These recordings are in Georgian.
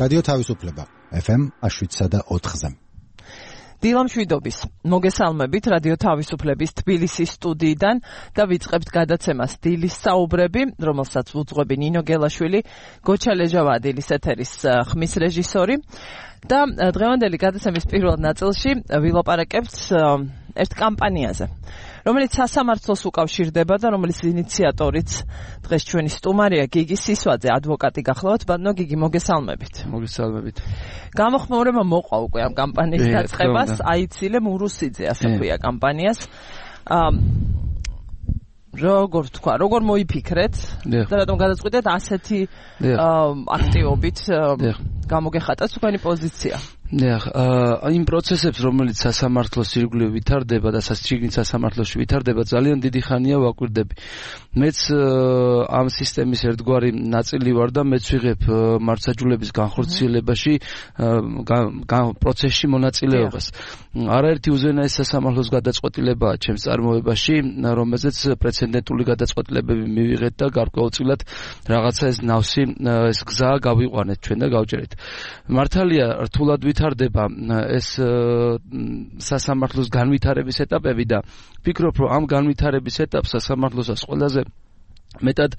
რადიო თავისუფლება FM 107.4-ზე. დილამ შვიდობის. მოგესალმებით რადიო თავისუფლების თბილისის სტუდიიდან და ვიწყებთ გადაცემას დილის საუბრები, რომელსაც უძღვები ნინო გელაშვილი, გოჩა ლეჟავა დილის ეთერის ხმის რეჟისორი და დღევანდელი გადაცემის პირველ ნაწილში ვილაპარაკებთ ერთ კამპანიაზე, რომელიც სასამართლოს უკავშირდება და რომელიც ინიციატორიც დღეს ჩვენი სტუმარია გიგი სისვაძე, ადვოკატი გახლავთ. ბატონო გიგი, მოგესალმებით. მოგესალმებით. გამოხმაურება მოყვა უკვე ამ კამპანიის დაწყებას, აიცილე მურუსიძე, ასე ქვია კამპანიას. როგორ თქვა, როგორ მოიფიქრეთ და რატომ გადაწყვიტეთ ასეთი აქტივობით გამოგეხატა თქვენი პოზიცია? იმ პროცესებს, რომელიც სასამართლოს ირგვლივ ვითარდება და შიგნით სასამართლოში ვითარდება, ძალიან დიდი ხანია ვაკვირდები. მეც ამ სისტემის ერთგვარი ნაწილი ვარ და მეც ვიღებ მართლმსაჯულების განხორციელებაში პროცესში მონაწილეობას. არაერთი უზენაეს სასამართლოს გადაწყვეტილებაა ჩემს წარმოებაში, რომელზეც პრეცედენტული გადაწყვეტილებები მივიღეთ და გარკვეულწილად რაღაცა ეს ნავსი, ეს გზა გავიყვანეთ ჩვენ და გავჭერეთ. მართალია, რთულად ვითარდება ეს სასამართლოს განვითარების ეტაპები და ვფიქრობ, რომ ამ განვითარების ეტაპს სასამართლოსაც ყველაზე მეტად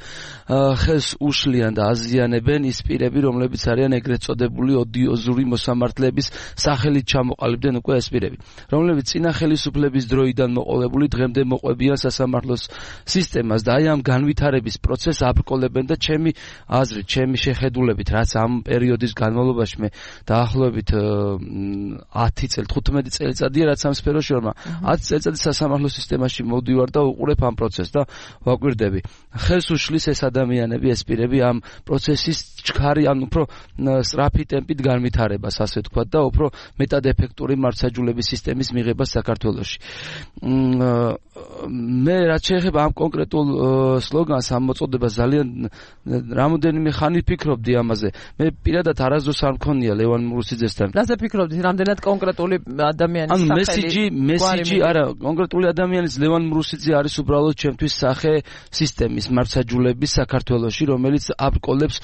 ხელს უშლიან და აზიანებენ ის პირები, რომლებიც არიან ეგრეთ წოდებული ოდიოზური მოსამართლეების სახელით ჩამოყალიბდნენ უკვე ეს პირები, რომლებიც წინა ხელისუფლების დროიდან მოყოლებული დღემდე მოყვებიან სასამართლოს სისტემას და აი ამ განვითარების პროცესს აბრკოლებენ და ჩემი აზრით, ჩემი შეხედულებით, რაც ამ პერიოდის განმავლობაში მე დაახლოებით 10 წელი, 15 წელიწადია, რაც ამ სფეროში ვარ, 10 წელიწადი სასამართლოს სისტემაში მოვდივარ და უყურებ ამ პროცესს და ვაკვირდები. ხელს უშლის ეს ადამიანები, ეს პირები ამ პროცესის ჩქარი, ან უფრო სწრაფი ტემპით განვითარებას, ასე ვთქვათ, და უფრო მეტად ეფექტური მართლმსაჯულების სისტემის მიღებას საქართველოში. მე რაც შეეხება ამ კონკრეტულ სლოგანს, ამ მოწოდებას ძალიან რამოდენიმე ხანი ფიქრობდი ამაზე. მე პირადად არასდროს არ მქონია ლევან მურუსიძესთან. რაზე ფიქრობდით? რამდენად კონკრეტული ადამიანის სახელი? მესიჯი, არა, კონკრეტული ადამიანის ლევან მურუსიძე არის უბრალოდ ჩემთვის სახე სისტემის მართლმსაჯულების საქართველოში, რომელიც აბრკოლებს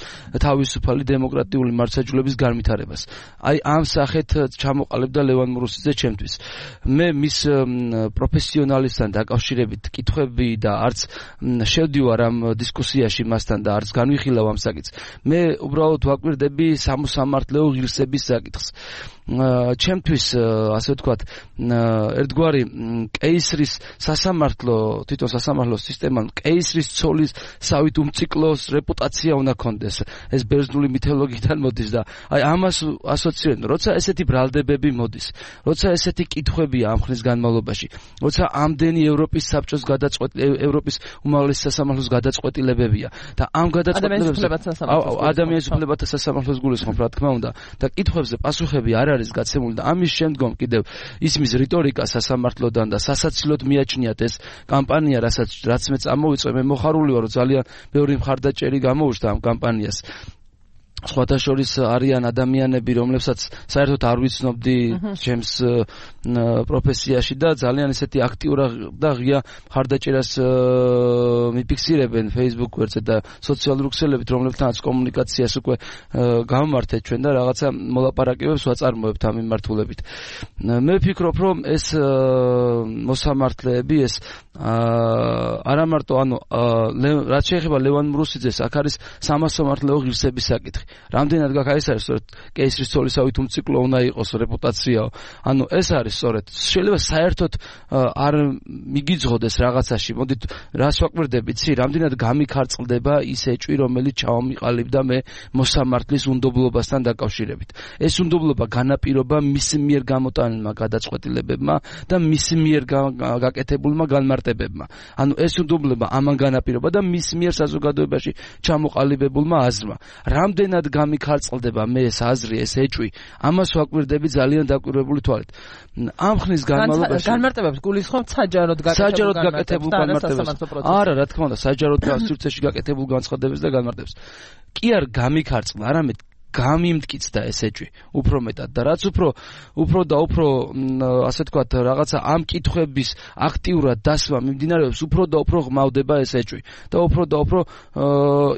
თავისუფალი დემოკრატიული მართლმსაჯულების განვითარებას. აი ამ სახეთ ჩამოყალიბდა ლევან მურუსიძე ჩემთვის. მე მის პროფესიონალისთან დაკავშირებით კითხვები და არც შევდივარ ამ დისკუსიაში მასთან და არც განვიხილავ ამ საკითხს. მე უბრალოდ ვაკვირდები სამოსამართლეო ღირსების საკითხს. ჩემთვის, ასე ვთქვათ, ერთგვარი კეისრის სასამართლო, თვითონ სასამართლოს სისტემამ კეისრის ცოლის სავით უმციკლოს რეპუტაცია უნდა კონდეს. ეს ბერძნული მითოლოგიიდან მოდის და აი ამას ასოცირებენ, როცა ესეთი ბრალდებები მოდის, როცა ესეთი კითხვებია ამ ხნის განმავლობაში, როცა ამდენი ევროპის საბჭოს ევროპის უმაღლესი სასამართლოს გადაწყვეტილებებია და ამ გადაწყვეტილებებზე ადამიანის უფლებათა სასამართლოს გულისხმობ, რა თქმა უნდა, და კითხვებზე პასუხები არ არის გაცემული და ამის შემდგომ კიდევ ისმის რიტორიკა სასამართლოდან და სასაცილოდ მიაჩნიათ ეს კამპანია, რაც მე წამოვიწვე, მე მოხარული ვარ, ძალიან ბევრი მხარდაჭერი გამოუჩნდა ამ კამპანიას. სხვათა შორის არიან ადამიანები, რომლებსაც საერთოდ არ ვიცნობდი ჩემს პროფესიაში და ძალიან ესეთი აქტიურ და ღია მხარდაჭერას მიფიქსირებენ Facebook ვერზე და სოციალურ ქსელებით, რომლებთანაც კომუნიკაციას უკვე გამმართეთ ჩვენ და რაღაცა მოლაპარაკებებს ვაწარმოებთ ამ მიმართულებით. მე ვფიქრობ, რომ ეს მოსამართლეები, ეს არამარტო, რაც შეეხება ლევან მურუსიძეს, აქ არის სამასამართლეო ღირსების საკითხი. რამდენად გაქვს ეს არის სწორედ კეისრის ცოლისავით უმციკლო უნდა იყოს რეპუტაციაო. ეს არის სწორედ. შეიძლება საერთოდ არ მიგიძღოდეს რაღაცაში. მოდით რას ვაკვირდებით, რამდენად გამიქარწყლდება ის ეჭვი, რომელიც ჩავამიყალიბდა მე მოსამართლის უნდობლობასთან დაკავშირებით. ეს უნდობლობა განაპირობა მის მიერ გამოტანილმა გადაწყვეტილებებმა და მის მიერ გაკეთებულმა განმარტებებმა. ეს უნდობლობა ამან განაპირობა და მის მიერ საზოგადოებაში ჩამოყალიბებულმა აზრმა. რამდენად გამიქარწყლდება მე ეს აზრი, ეს ეჭვი, ამას ვაკვირდები ძალიან დაკვირვებული თვალით. ამ ხნის განმავლობაში განმარტებებს გულისხმობთ საჯაროდ გაკეთებულ განმარტებებს. არა, რა თქმა უნდა, საჯაროდ სივრცეში გაკეთებულ განცხადებებს და განმარტებებს. კი არ გამიქარწყლა, არამედ გამიმტკიცდა ეს ეჭვი უფრო მეტად და რაც უფრო ასე თქვათ რაღაცა ამ კითხვების აქტიურად დასვა მიმდინარეობს უფრო და უფრო ღმავდება ეს ეჭვი და უფრო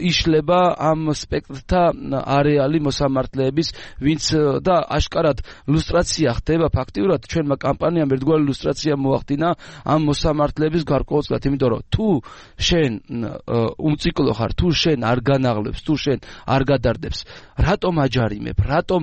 იშლება ამ სპექტრთა არეალი მოსამართლეების ვინც და აშკარად ლუსტრაცია ხდება ფაქტიურად ჩვენმა კამპანიამ ერთგვარი ლუსტრაცია მოახდინა ამ მოსამართლეების გარკვეულწილად იმიტომ რომ თუ შენ უმციკლო ხარ თუ შენ არ განაღლებს თუ შენ არ გადარდებს რატომ აჯარიმებ რატომ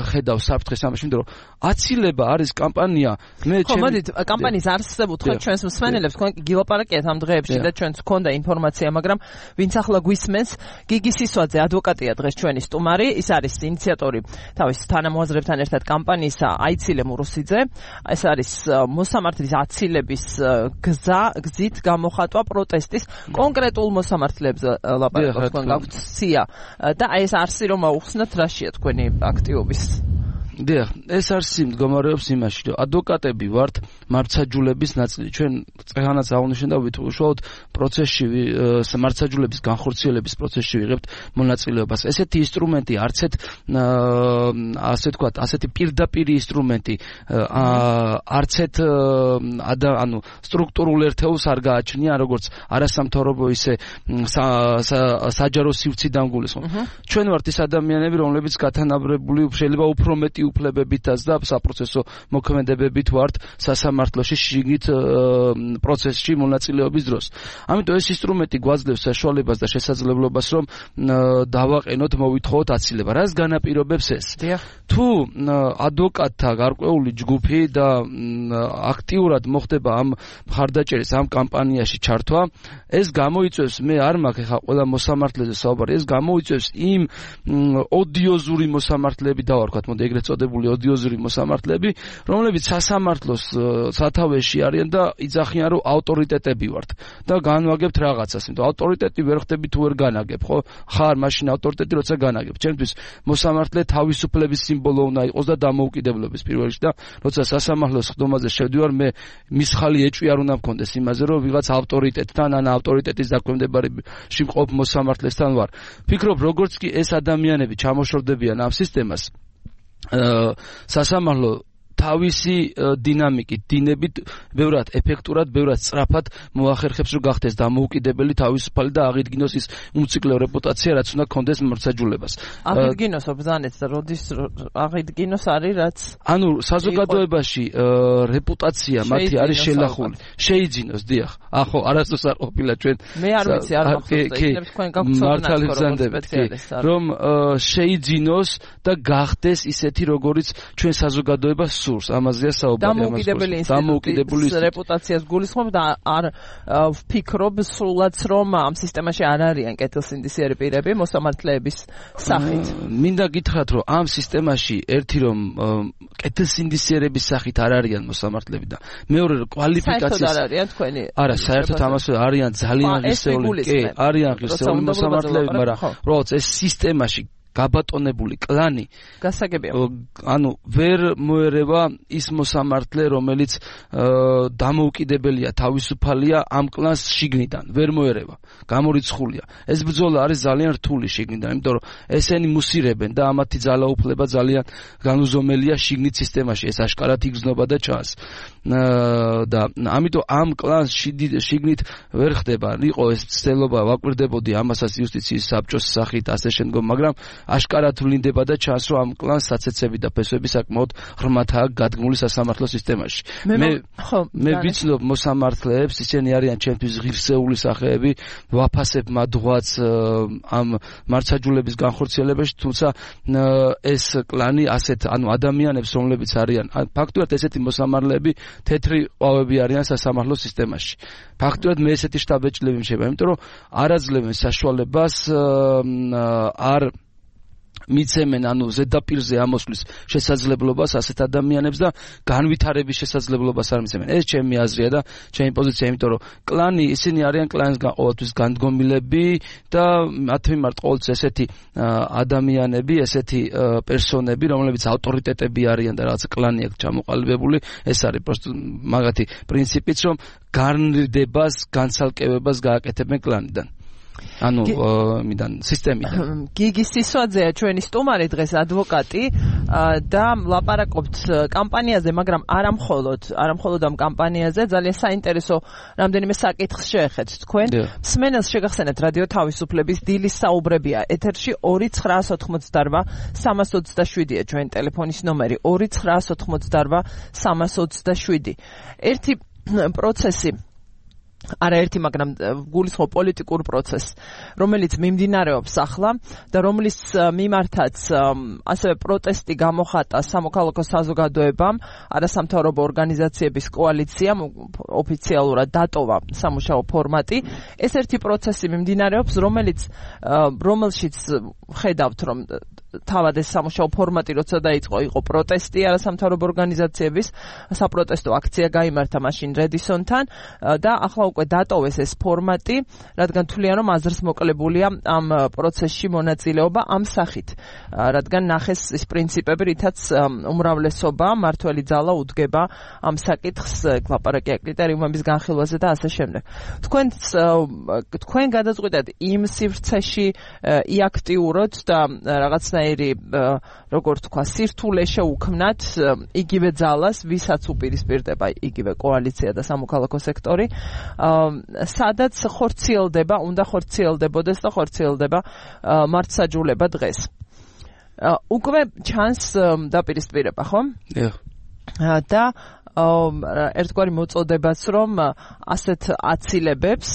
ხედავ საფრთხეს ამაში იმიტომ რომ აცილება არის კამპანია მე მოდით კამპანიის არსებობ თქვენ ჩვენს მსმენელებს თქვენ გილაპარაკეთ ამ დღეებში და ჩვენც გქონდა ინფორმაცია მაგრამ ვინც ახლა გვისმენს გიგი სისვაძე ადვოკატია დღეს ჩვენი სტუმარი ის არის ინიციატორი თავის თანამოაზრებთან ერთად კამპანიისა აიცილე მურუსიძე ეს არის მოსამართლის აცილების გზით გამოხატვა პროტესტის კონკრეტულ მოსამართლეებს ლაპარაკობს თქვენ გაქვთ სია და ეს არსი რომ აუხსნათ რაშია თქვენი აქტივობის დიახ, ეს არსი მდგომარეობს იმაში, რომ ადვოკატები ვართ მართლმსაჯულების ნაწილი. ჩვენ წეღანაც აღნიშნეთ და ვითხოვოთ პროცესში მართლმსაჯულების განხორციელების პროცესში ვიღებთ მონაწილეობას. ესეთი ინსტრუმენტი არცეთ ასე თქვათ, ასეთი პირდაპირი ინსტრუმენტი არცეთ ანუ სტრუქტურულ ერთეულს არ გააჩნია, როგორც არასამთავრობო ისე საჯარო სივრციდან გულისხმობ. ჩვენ ვართ ის ადამიანები, რომლებიც გათანაბრებული შეიძლება უფრო მეტი უფლებებითაც და საპროცესო მოქმედებებით ვართ სასამართლოში შიგნით პროცესში მონაწილეობის დროს. ამიტომ ეს ინსტრუმენტი გვაძლევს საშუალებას და შესაძლებლობას რომ დავაყენოთ, მოვითხოვოთ აცილება. რას განაპირობებს ეს? თუ ადვოკატთა გარკვეული ჯგუფი და აქტიურად მოხდება ამ მხარდაჭერის ამ კამპანიაში ჩართვა, ეს გამოიწვევს მე არ მაქვს ხა ყველა მოსამართლეზე საუბარი, ეს გამოიწვევს იმ ოდიოზური მოსამართლეები დავარქვათ, მოდი ეგრეთ წოდებული ოდიოზური მოსამართლეები, რომლებიც სასამართლოს სათავეში არიან და იძახიან, რომ ავტორიტეტები ვართ და განვაგებთ რაღაცას, იმიტომ ავტორიტეტი ვერ ხდები თუ ვერ განაგებ, ხო? ხარ მაშინ ავტორიტეტი როცა განაგებ. ჩემთვის მოსამართლე თავისუფლების სიმბოლო უნდა იყოს და დამოუკიდებლობის პირველ რიგში და როცა სასამართლოს ხდომაზე შევდივარ, მე მისხალი ეჭვი არ უნდა მქონდეს იმაზე, რომ ვიღაც ავტორიტეტთან ან ავტორიტეტის დაქვემდებარებაში მყოფ მოსამართლესთან ვარ. ფიქრობ, როგორც კი ეს ადამიანები ჩამოშორდებიან ამ სისტემას, სასამართლო თავისი დინამიკით, დინებით, ბევრად ეფექტურად, ბევრად სწრაფად მოახერხებს, რომ გახდეს დამოუკიდებელი, თავისუფალი და აღიდგინოს ის უმციკლო რეპუტაცია, რაც უნდა გქონდეს მართლმსაჯულებას. აღიდგინოს ბრძანეთ და როდის აღიდგინოს არის რაც ანუ საზოგადოებაში რეპუტაცია მათი არის შელახული. შეიძინოს, დიახ. ახო, არასდროს არ ყოფილა ჩვენ. მე არ ვიცი, არ მახსოვს, იქნებ თქვენ გავხსოვდეთ, რომ შეიძინოს და გახდეს ისეთი, როგორიც ჩვენ საზოგადოებას სურს, ამაზეა საუბარი. დამოუკიდებელი რეპუტაციას გულისხმობ და არ ვფიქრობ სულაც რომ ამ სისტემაში არ არიან კეთილსინდისიერი პირები მოსამართლეების სახით. მინდა გითხრათ, რომ ამ სისტემაში ერთი რომ კეთილსინდისიერების სახით არ არიან მოსამართლეები და მეორე კვალიფიკაციის არ არიან თქვენი. არა, საერთოდ ამას არიან ძალიან ღირსეული, კი, არიან ღირსეული მოსამართლეები, მაგრამ როგორც ეს სისტემაში გაბატონებული კლანი გასაგებია. ანუ ვერ მოერევა ის მოსამართლე, რომელიც დამოუკიდებელია, თავისუფალია ამ კლანს შიგნიდან, ვერ მოერევა. გამორიცხულია. ეს ბრძოლა არის ძალიან რთული შიგნიდან, იმიტომ რომ ესენი მუსირებენ და ამათი ძალაუფლება ძალიან განუზომელია შიგნით სისტემაში. ეს აშკარად იგრძნობა და ჩანს. და ამიტომ ამ კლანს შიგნით ვერ ხდება. იყო ეს ცდელობა, ვაკვირდებოდი ამასაც იუსტიციის საბჭოს სახით ასე შემდგომ, მაგრამ აშკარად ვლინდება და ჩანს, რომ ამ კლანს საცეცები და ფესვები საკმაოდ ღრმათაა გადგმული სასამართლო სისტემაში. მე ვიცნობ მოსამართლეებს, ისინი არიან ჩემთვის ღირსეული სახეები, ვაფასებ მადღვაც ამ მართლმსაჯულების განხორციელებაში, თუმცა ეს კლანი ასეთ, ანუ ადამიანებს, რომლებიც არიან, ფაქტობრივად ესეთი მოსამართლეები თეთრი ყვავები არიან სასამართლო სისტემაში. ფაქტობრივად მე ესეთი შტაბ-ბეჭდები მშება, იმიტომ რომ არ აძლევენ საშუალებას არ მიცემენ ანუ ზედაპირზე ამოსვლის შესაძლებლობას ასეთ ადამიანებს და განვითარების შესაძლებლობას არ მიცემენ. ეს ჩემი აზრია და ჩემი პოზიცია, იმიტომ რომ კლანი ისინი არიან კლანის ყოველთვის განდგომილები და მათ მიმართ ყოველთვის ესეთი ადამიანები, ესეთი პერსონები, რომლებიც ავტორიტეტები არიან და რაღაც კლანი აქვს ჩამოყალიბებული, ეს არის პროსტო მაგათი პრინციპიც, რომ განრიდებას, განცალკევებას გააკეთებენ კლანიდან. ანუ მიდან სისტემიდან. გიგი სისვაძეა ჩვენი სტუმარი დღეს ადვოკატი და ლაპარაკობთ კამპანიაზე, მაგრამ არა მხოლოდ ამ კამპანიაზე, ძალიან საინტერესო რამდენიმე საკითხს შეეხეთ თქვენ. მსმენელს შეგახსენებთ რადიო თავისუფლების დილის საუბრებია ეთერში 2988 327-ია ჩვენი ტელეფონის ნომერი 2988 327. ერთი პროცესი არაერთი, მაგრამ გულისხმობ პოლიტიკურ პროცესს, რომელიც მიმდინარეობს ახლა და რომლის მიმართაც ასევე პროტესტი გამოხატა სამოქალაქო საზოგადოებამ, არასამთავრობო ორგანიზაციების კოალიციამ ოფიციალურად დატოვა სამუშაო ფორმატი. ეს ერთი პროცესი მიმდინარეობს, რომელშიც ხედავთ, რომ თავად ეს სამუშაო ფორმატი როცა დაიწყო, იყო პროტესტი არასამთავრობო ორგანიზაციების, საპროტესტო აქცია გაიმართა მაშინ რედისონთან და ახლა უკვე დატოვეს ეს ფორმატი, რადგან თვლიან, რომ აზრს მოკლებულია ამ პროცესში მონაწილეობა ამ სახით, რადგან ნახეს ის პრინციპები, რითაც უმრავლესობა მართველი ძალა უდგება ამ საკითხს, ლაპარაკია კრიტერიუმების განხილვაზე და ასე შემდეგ. თქვენ გადაწყვიტეთ იმ სივრცეში იაქტიუროთ და რაღაცნაირი, როგორ თქვა, სირთულე შეუქმნათ იგივე ძალას, ვისაც უპირისპირდება იგივე კოალიცია და სამოქალაქო სექტორი, სადაც უნდა ხორციელდებოდეს და ხორციელდება მართსაჯულება დღეს. უკვე ჩანს დაპირისპირება, ხო? და ერთგვარი მოწოდებაც, რომ ასეთ აცილებებს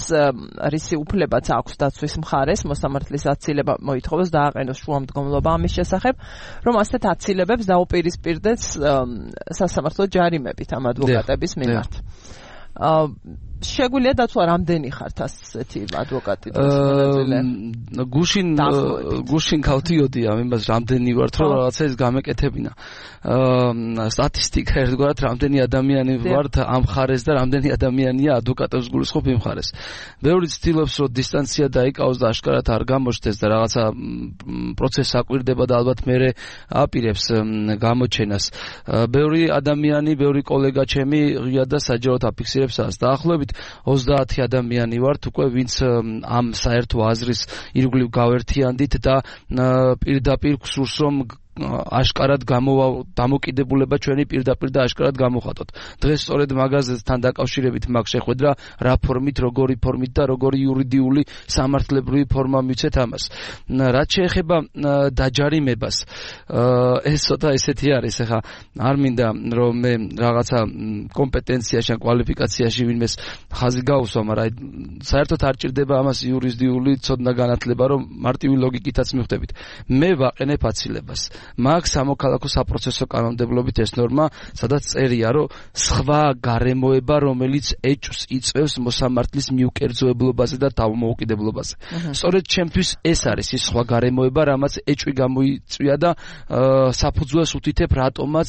რისი უფლებაც აქვს დაცვის მხარეს, მოსამართლის აცილება მოითხოვოს დააყენოს შუამდგომლობა ამის შესახებ, რომ ასეთ აცილებებს დაუპირისპირდეს სასამართლო ჯარიმებით ამ ადვოკატების მიმართ. შეგვიძლია დათვალა რამდენი ხართ ასეთი ადვოკატი მონაწილე? გუშინ გავდიოდი ამ იმას რამდენი ვართ, რომ რაღაცა ის გამეკეთებინა. სტატისტიკა ერთგვარად რამდენი ადამიანი ვართ ამ ხარეს და რამდენი ადამიანია ადვოკატებს გულისხმობ იმ ხარეს. ბევრი ცდილობს, რომ დისტანცია დაიკავოს და აშკარად არ გამოჩნდეს და რაღაცა პროცესი აკვირდება და ალბათ მერე აპირებს გამოჩენას. ბევრი ადამიანი, ბევრი კოლეგა ჩემი ღია და საჯაროდ აფიქსირებს ას. დაახლოებით 30 ადამიანი ვართ უკვე, ვინც ამ საერთო აზრის ირგვლივ გავერთიანდით და პირდაპირ გსურს, რომ აშკარად დამოკიდებულება ჩვენი პირდაპირ და აშკარად გამოხატოთ. დღეს სწორედ მაგაზესთან დაკავშირებით მაგ შეხვედრა, რა ფორმით, როგორი ფორმით და როგორი იურიდიული სამართლებრივი ფორმა მიცეთ ამას. რაც შეეხება დაჯარიმებას, ეს ცოტა ესეთი არის, ახლა არ მინდა რომ მე რაღაცა კომპეტენციაში ან კვალიფიკაციაში ვინმეს ხაზი გაუსვა, მაგრამ საერთოდ არ ჭირდება ამას იურიდიული ცოდნა განათლება, რომ მარტივი ლოგიკითაც მივხვდებით. მე ვაყენებ აცილებას. მაგ სამოქალაქო საპროცესო კანონმდებლობით ეს ნორმა, სადაც წერია, რომ სხვა გარემოება, რომელიც ეჭვს იწვევს მოსამართლის მიუკერძოებლობაზე და თავმოუკიდებლობაზე. სწორედ ჩემთვის ეს არის ის სხვა გარემოება, რამაც ეჭვი გამოიწვია და საფუძველს უთითებ, რატომაც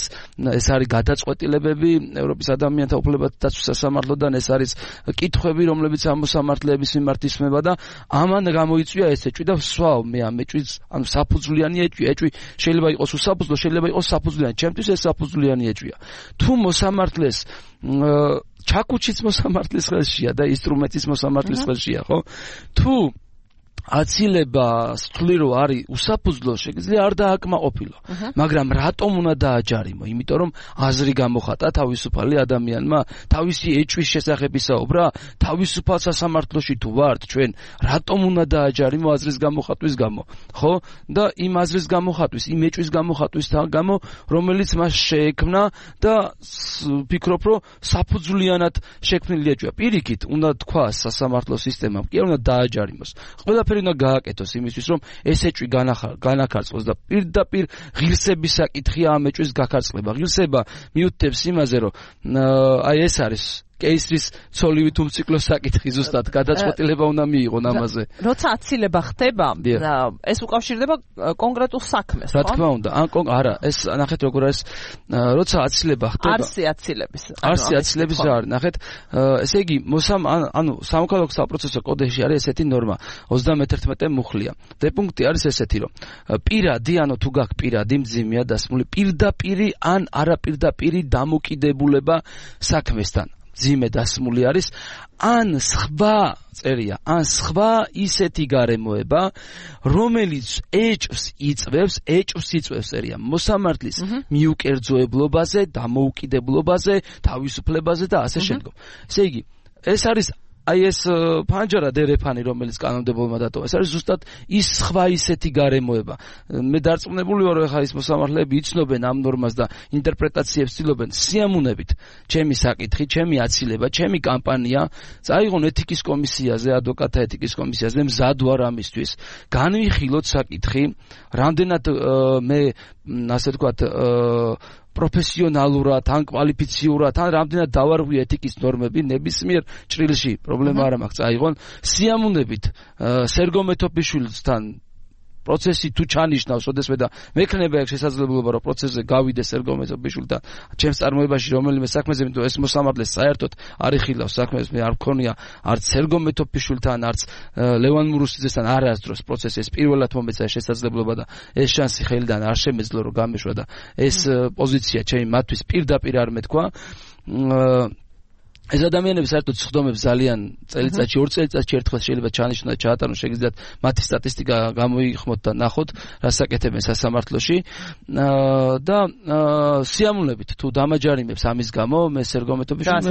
ეს არის გადაწყვეტილებები ევროპის ადამიანთა უფლებათა დაცვის სასამართლოდან, ეს არის კითხვები, რომლებიც ამ მოსამართლეების მიმართ ისმება და ამან გამოიწვია ეს ეჭვი და ვსვავ მე ამ ეჭვის, ანუ საფუძვლიანი ეჭვი შეიძლება იყოს უსაფუძვლო, შეიძლება იყოს საფუძვლიანი. ჩემთვის ეს საფუძვლიანი ეჭვია. თუ მოსამართლეს ჩაკუჩიც მოსამართლის ხელშია და ინსტრუმენტის მოსამართლის ხელშია, ხო? თუ აცილება სთვლი რომ არის უსაფუძვლო, შეიძლება არ დააკმაყოფილო. მაგრამ რატომ უნდა დააჯარიმო? იმიტომ რომ აზრი გამოხატა თავისუფალი ადამიანმა, თავისი ეჭვის შესახებ ისაუბრა, თავისუფალ სასამართლოში თუ ვართ ჩვენ, რატომ უნდა დააჯარიმო აზრის გამოხატვის გამო? ხო? და იმ აზრის გამოხატვის, იმ ეჭვის გამოხატვის გამო, რომელიც მას შეექმნა და ვფიქრობ, რომ საფუძვლიანად შექმნილი ეჭვია. პირიქით, უნდა თქვას სასამართლო სისტემამ, კი არ უნდა დააჯარიმოს. ყველაფერი უნდა გააკეთოს იმისთვის, რომ ეს ეჭვი განახარწყოს და პირდაპირ ღირსების საკითხია ამ ეჭვის გაქარწყლება. ღირსება მიუთითებს იმაზე, რომ აი ეს არის კეისრის ცოლივით უმციკლო საკითხი, ზუსტად გადაწყვეტილება უნდა მიიღონ ამაზე. როცა აცილება ხდება, ეს უკავშირდება კონკრეტულ საქმეს, ხო? რა თქმა უნდა, არა, ეს ნახეთ როგორ არის, როცა აცილება ხდება. არსი აცილების რა არის, ნახეთ, ესე იგი, ანუ სამოქალაქო საპროცესო კოდექსში არის ესეთი ნორმა, 31 მუხლია. და პუნქტი არის ესეთი, რომ პირადი, ანუ თუ გაქვს პირადი მძიმეა დასმული, პირდაპირი ან არაპირდაპირი დამოკიდებულება საქმესთან. ძიმე დასმული არის, ან სხვა წერია, ან სხვა ისეთი გარემოება, რომელიც ეჭვს იწვევს წერია მოსამართლის მიუკერძოებლობაზე, დამოუკიდებლობაზე, თავისუფლებაზე და ასე შემდგომ. ესე იგი, ეს არის აი ეს ფანჯარა დერეფანი, რომელიც კანონმდებელმა დატოვა, ეს არის ზუსტად ის სხვა ისეთი გარემოება. მე დარწმუნებული ვარ, რომ ხა ის მოსამართლეები იცნობენ ამ ნორმას და ინტერპრეტაციებს ცდილობენ სიამოვნებით ჩემი საკითხი, ჩემი აცილება, ჩემი კამპანია წაიღონ ეთიკის კომისიაზე, ადვოკატთა ეთიკის კომისიაზე, მზად ვარ ამისთვის. განვიხილოთ საკითხი, რამდენად მე ასე ვთქვათ პროფესიონალურად, ან კვალიფიციურად, ან რამდენად დავარღვი ეთიკის ნორმები ნებისმიერ ჭრილში, პრობლემა არ მაქვს, წაიღონ სიამოვნებით სერგო მეთოფიშვილთან პროცესი თუ ჩანიშნავს, ოდესმე და მექნება ეგ შესაძლებლობა, რომ პროცესზე გავიდე სერგო მეთოფიშვილთან ჩემს წარმოებაში რომელიმე საქმეზე, იმიტომ ეს მოსამართლეს საერთოდ არ იხილავს საქმეს, მე არ მქონია არც სერგო მეთოფიშვილთან, არც ლევან მურუსიძესთან არასდროს პროცესი, ეს პირველად მომეცა შესაძლებლობა და ეს შანსი ხელიდან არ შემეძლო, რომ გამეშვა და ეს პოზიცია ჩემი მათთვის პირდაპირ არ მეთქვა. ეს ადამიანები საერთოდ სხდომებს ძალიან წელიწადში, 2 წელიწადში ერთხელ შეიძლება ჩაანიშნოთ, ჩაატარონ, შეგიძლიათ მათი სტატისტიკა გამოიხმოთ და ნახოთ, რა საკეთებენ სასამართლოში. და სიამოვნებით თუ დამაჯარიმებს ამის გამო, მე სერგო მეთოფიშვილს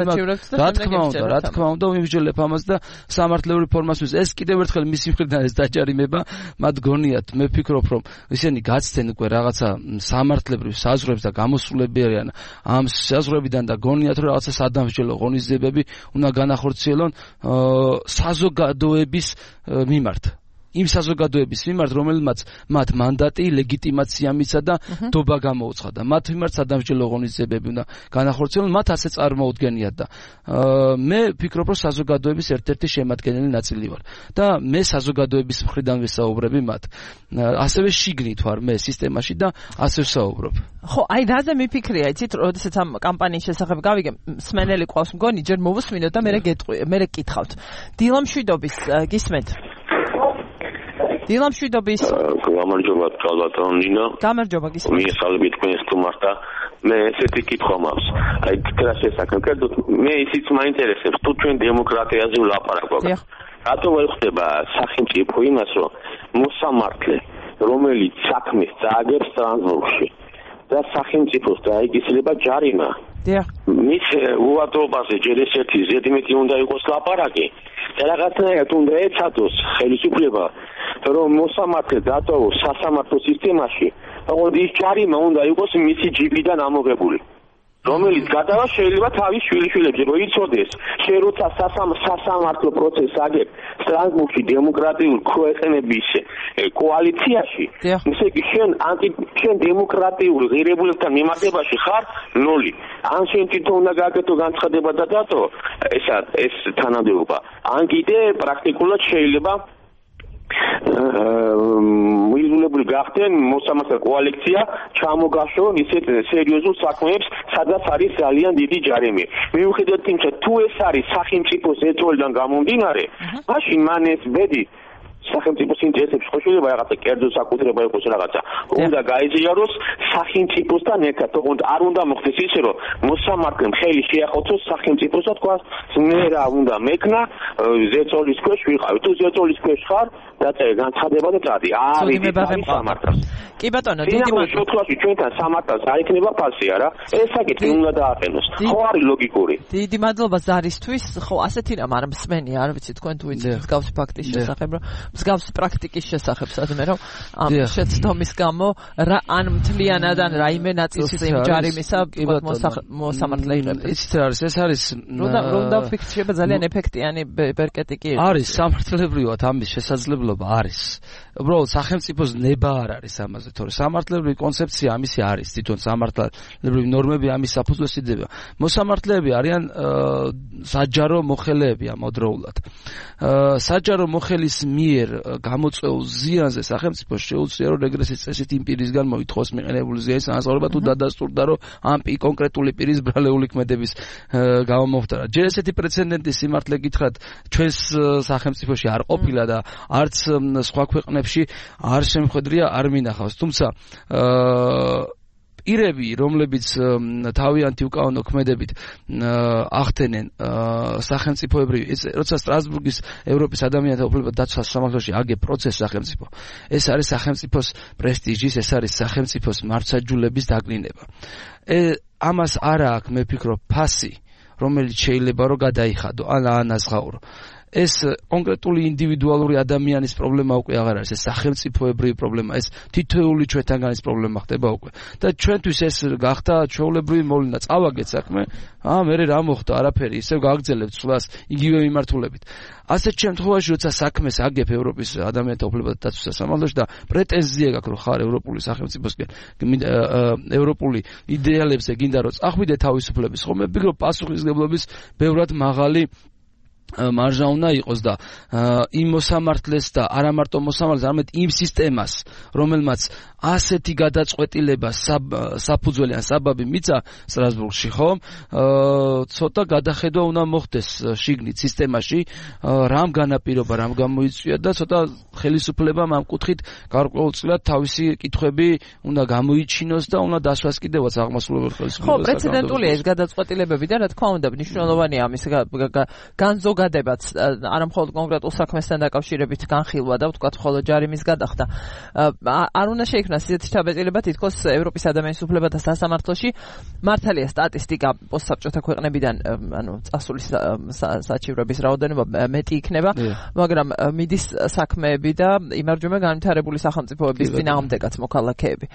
რა თქმა უნდა, ვიმსჯელებ ამას და სამართლეური ფორმასთვის ეს კიდევ ერთხელ მისი მხრიდან ეს დაჯარიმება, მათ გონიათ, მე ვფიქრობ, რომ ისინი გაცდენ უკვე რაღაცა სამართლებრივ საზღვრებს და გამოსულები არიან ამ საზღვრებიდან და გონიათ, რომ რაღაცა სადამსჯელო ღონისძიებები უნდა განახორციელონ საზოგადოების მიმართ. იმ საზოგადოების მიმართ, რომელმაც მათ მანდატი, ლეგიტიმაცია მისცა და დობა გამოუცხადა და მათ მიმართ სადამსჯელო ღონისძიებები უნდა განახორციელონ, მათ ასე წარმოუდგენიათ და მე ვფიქრობ, რომ საზოგადოების ერთ-ერთი შემადგენელი ნაწილი ვარ და მე საზოგადოების მხრიდან ვესაუბრები მათ. ასევე შიგნით ვარ მე სისტემაში და ასე ვსაუბრობ. ხო, აი რაზე მიფიქრია, იცით, როდესაც ამ კამპანიის შესახებ გავიგე, მსმენელი ყავს მგონი, ჯერ მოვუსმინოთ და მე გითხავთ. დილამშვიდობის გისმენთ? დილამშვიდობის. გამარჯობა, კალბატონ ნინო. გამარჯობა, გისმენთ. მიესალმებით თქვენს თუმართა. მე ესეთი კითხვა მაქვს. აი, რა შესაძლოა, კერძოდ მე ისიც მაინტერესებს, თუ ჩვენ დემოკრატიაზე ვლაპარაკობთ. რატო ვერ ხდება სახელმწიფო იმას, რომ მოსამართლე, რომელიც საქმეს წააგებს სტრასბურგში და სახელმწიფოს დაეკისრება ჯარიმა. მის უვადრობაზე ჯერ ესეთი ზედმეტი უნდა იყოს ლაპარაკი. და რაღაცნაირად უნდა ეცადოს ხელისუფლება, რომ მოსამართლე დატოვოს სასამართლო სისტემაში, თუმცა ის ჯარიმა უნდა იყოს მისი ჯიბიდან ამოღებული, რომელიც გადავა შეიძლება თავის შვილიშვილებზე, რომ იცოდეს, შენ როცა სასამართლო პროცესს აგებ სტრასბურგში დემოკრატიულ ქვეყნების კოალიციაში, ისე იგი შენ დემოკრატიულ ღირებულებთან მიმართებაში ხარ 0. ან შენ თვითონ უნდა გააკეთო განცხადება და დატო ეს თანამდებობა. ან კიდე პრაქტიკულად შეიძლება მოიძულებული გახდნენ მოსამართლე კოალიცია ჩამოგაშორონ ისეთ სერიოზულ საქმეებს, სადაც არის ძალიან დიდი ჯარიმი. მიუხედავად იმისა, თუ ეს არის სახელმწიფოს ეწოლიდან გამომდინარე, მაშინ მან ეს ბედი სახელმწიფოს ინტერესებს ხო შეიძლება რაღაცა კერძო საკუთრება იყოს რაღაცა. უნდა გაიზიაროს სახელმწიფოსთან ერთად, თუმცა არ უნდა მოხდეს ისე, რომ მოსამართლემ ხელი შეახოცოს სახელმწიფოს და თქვა, მე რა უნდა მექნა, ზეწოლის ქვეშ ვიყავი. თუ ზეწოლის ქვეშ ხარ, დაწერე განცხადება და წადი. არის სამართალს. კი ბატონო, დიდი მადლობა. ჩვენთან სამართალს არ იქნება ფასი არა? ეს საკითხი უნდა დააყენოს. ხო არის ლოგიკური. დიდი მადლობა ზარისთვის. ხო, ასეთი რამ არ მსმენი, არ ვიცი თქვენ თუ იცით მსგავსი ფაქტის შესახებ, რომ მსგავსი პრაქტიკის შესახებ სადმე რომ ამ შეცდომის გამო რა ან მთლიანად ან რაიმე ნაწილს იმ ჯარიმისა მოსამართლე იღებს. იცით რა არის, ეს არის რომ ფიქრდება ძალიან ეფექტიანი ბერკეტი კი არის სამართლებრივად ამის შესაძლებლობა არის. უბრალოდ სახელმწიფოს ნება არ არის ამაზე, თორე სამართლებრივი კონცეფცია ამისი არის, თვითონ სამართლებრივი ნორმები ამის საფუძვლად იდება. მოსამართლეები არიან საჯარო მოხელეები ამავდროულად. საჯარო მოხელის მიერ გამოწვეულ ზიანზე სახელმწიფოს შეუძლია რომ რეგრესის წესით იმ პირისგან მოითხოვოს მიყენებული ზიანის ანაზღაურება თუ დადასტურდა რომ ამ კონკრეტული პირის ბრალეული ქმედების გამომოხდარა. ჯერ ესეთი პრეცედენტი სიმართლე გითხრათ ჩვენს სახელმწიფოში არ ყოფილა და არც სხვა ქვეყნებში არ შემხედრია არ მინახავს. თუმცა პირები, რომლებიც თავიანთი უკანონო ქმედებით ახდენენ სახელმწიფოებრივი, როცა სტრასბურგის ევროპის ადამიანთა უფლებათა დაცვის სამართალში აგე პროცესს სახელმწიფო. ეს არის სახელმწიფოს პრესტიჟის, ეს არის სახელმწიფოს მართლმსაჯულების დაკნინება. ამას არა აქვს, მე ვფიქრობ, ფასი, რომელიც შეიძლება რომ გადაიხადო, ან ანაზღაურო. ეს კონკრეტული ინდივიდუალური ადამიანის პრობლემა უკვე აღარ არის, ეს სახელმწიფოებრივი პრობლემა, ეს თითოეული ჩვენთანგანის პრობლემა ხდება უკვე. და ჩვენთვის ეს გახდა ჩვეულებრივი მოვლენა, წავაგეთ საქმე, მე რა მოხდა, არაფერი, ისევ გააგრძელებთ სვლას იგივე მიმართულებით. ასეთ შემთხვევაში, როცა საქმეს აგებ ევროპის ადამიანთა უფლებათა დაცვის სამართალში და პრეტენზია გაქვს, რომ ხარ ევროპული სახელმწიფოსკენ, ევროპული იდეალებზე გინდა რომ წახვიდე თავისუფლების, ხომ მე ვფიქრობ პასუხისმგებლობის ბევრად მაღალი მარჟა უნდა იყოს და იმ მოსამართლეს და არა მარტო მოსამართლეს, არამედ იმ სისტემას, რომელმაც ასეთი გადაწყვეტილება საფუძველი ან საბაბი მიცა სტრასბურგში, ხომ? ცოტა გადახედვა უნდა მოხდეს შიგნით სისტემაში, რამ განაპირობა, რამ გამოიწვია და ცოტა ხელისუფლებამ ამ კუთხით გარკვეულწილად თავისი კითხვები უნდა გამოიჩინოს და უნდა დასვას კიდევაც აღმასრულებელ ხელისუფლებას. ხო, პრეცედენტულია ეს გადაწყვეტილებები და რა თქმა უნდა, მნიშვნელოვანია ამის განზოგადებაც, არა მხოლოდ კონკრეტულ საქმესთან დაკავშირებით განხილვა და ვთქვათ, ხოლო ჯარიმის გადახდა. არ უნდა შეიქმნას ისეთი ჩაბეჭდილება, თითქოს ევროპის ადამიანის უფლებათა სასამართლოში მართალია სტატისტიკა პოსტსაბჭოთა ქვეყნებიდან, ანუ წასული საჩივრების რაოდენობა მეტი იქნება, მაგრამ მიდის საქმეები და იმარჯვება განვითარებული სახელმწიფოების წინააღმდეგაც მოქალაქეები.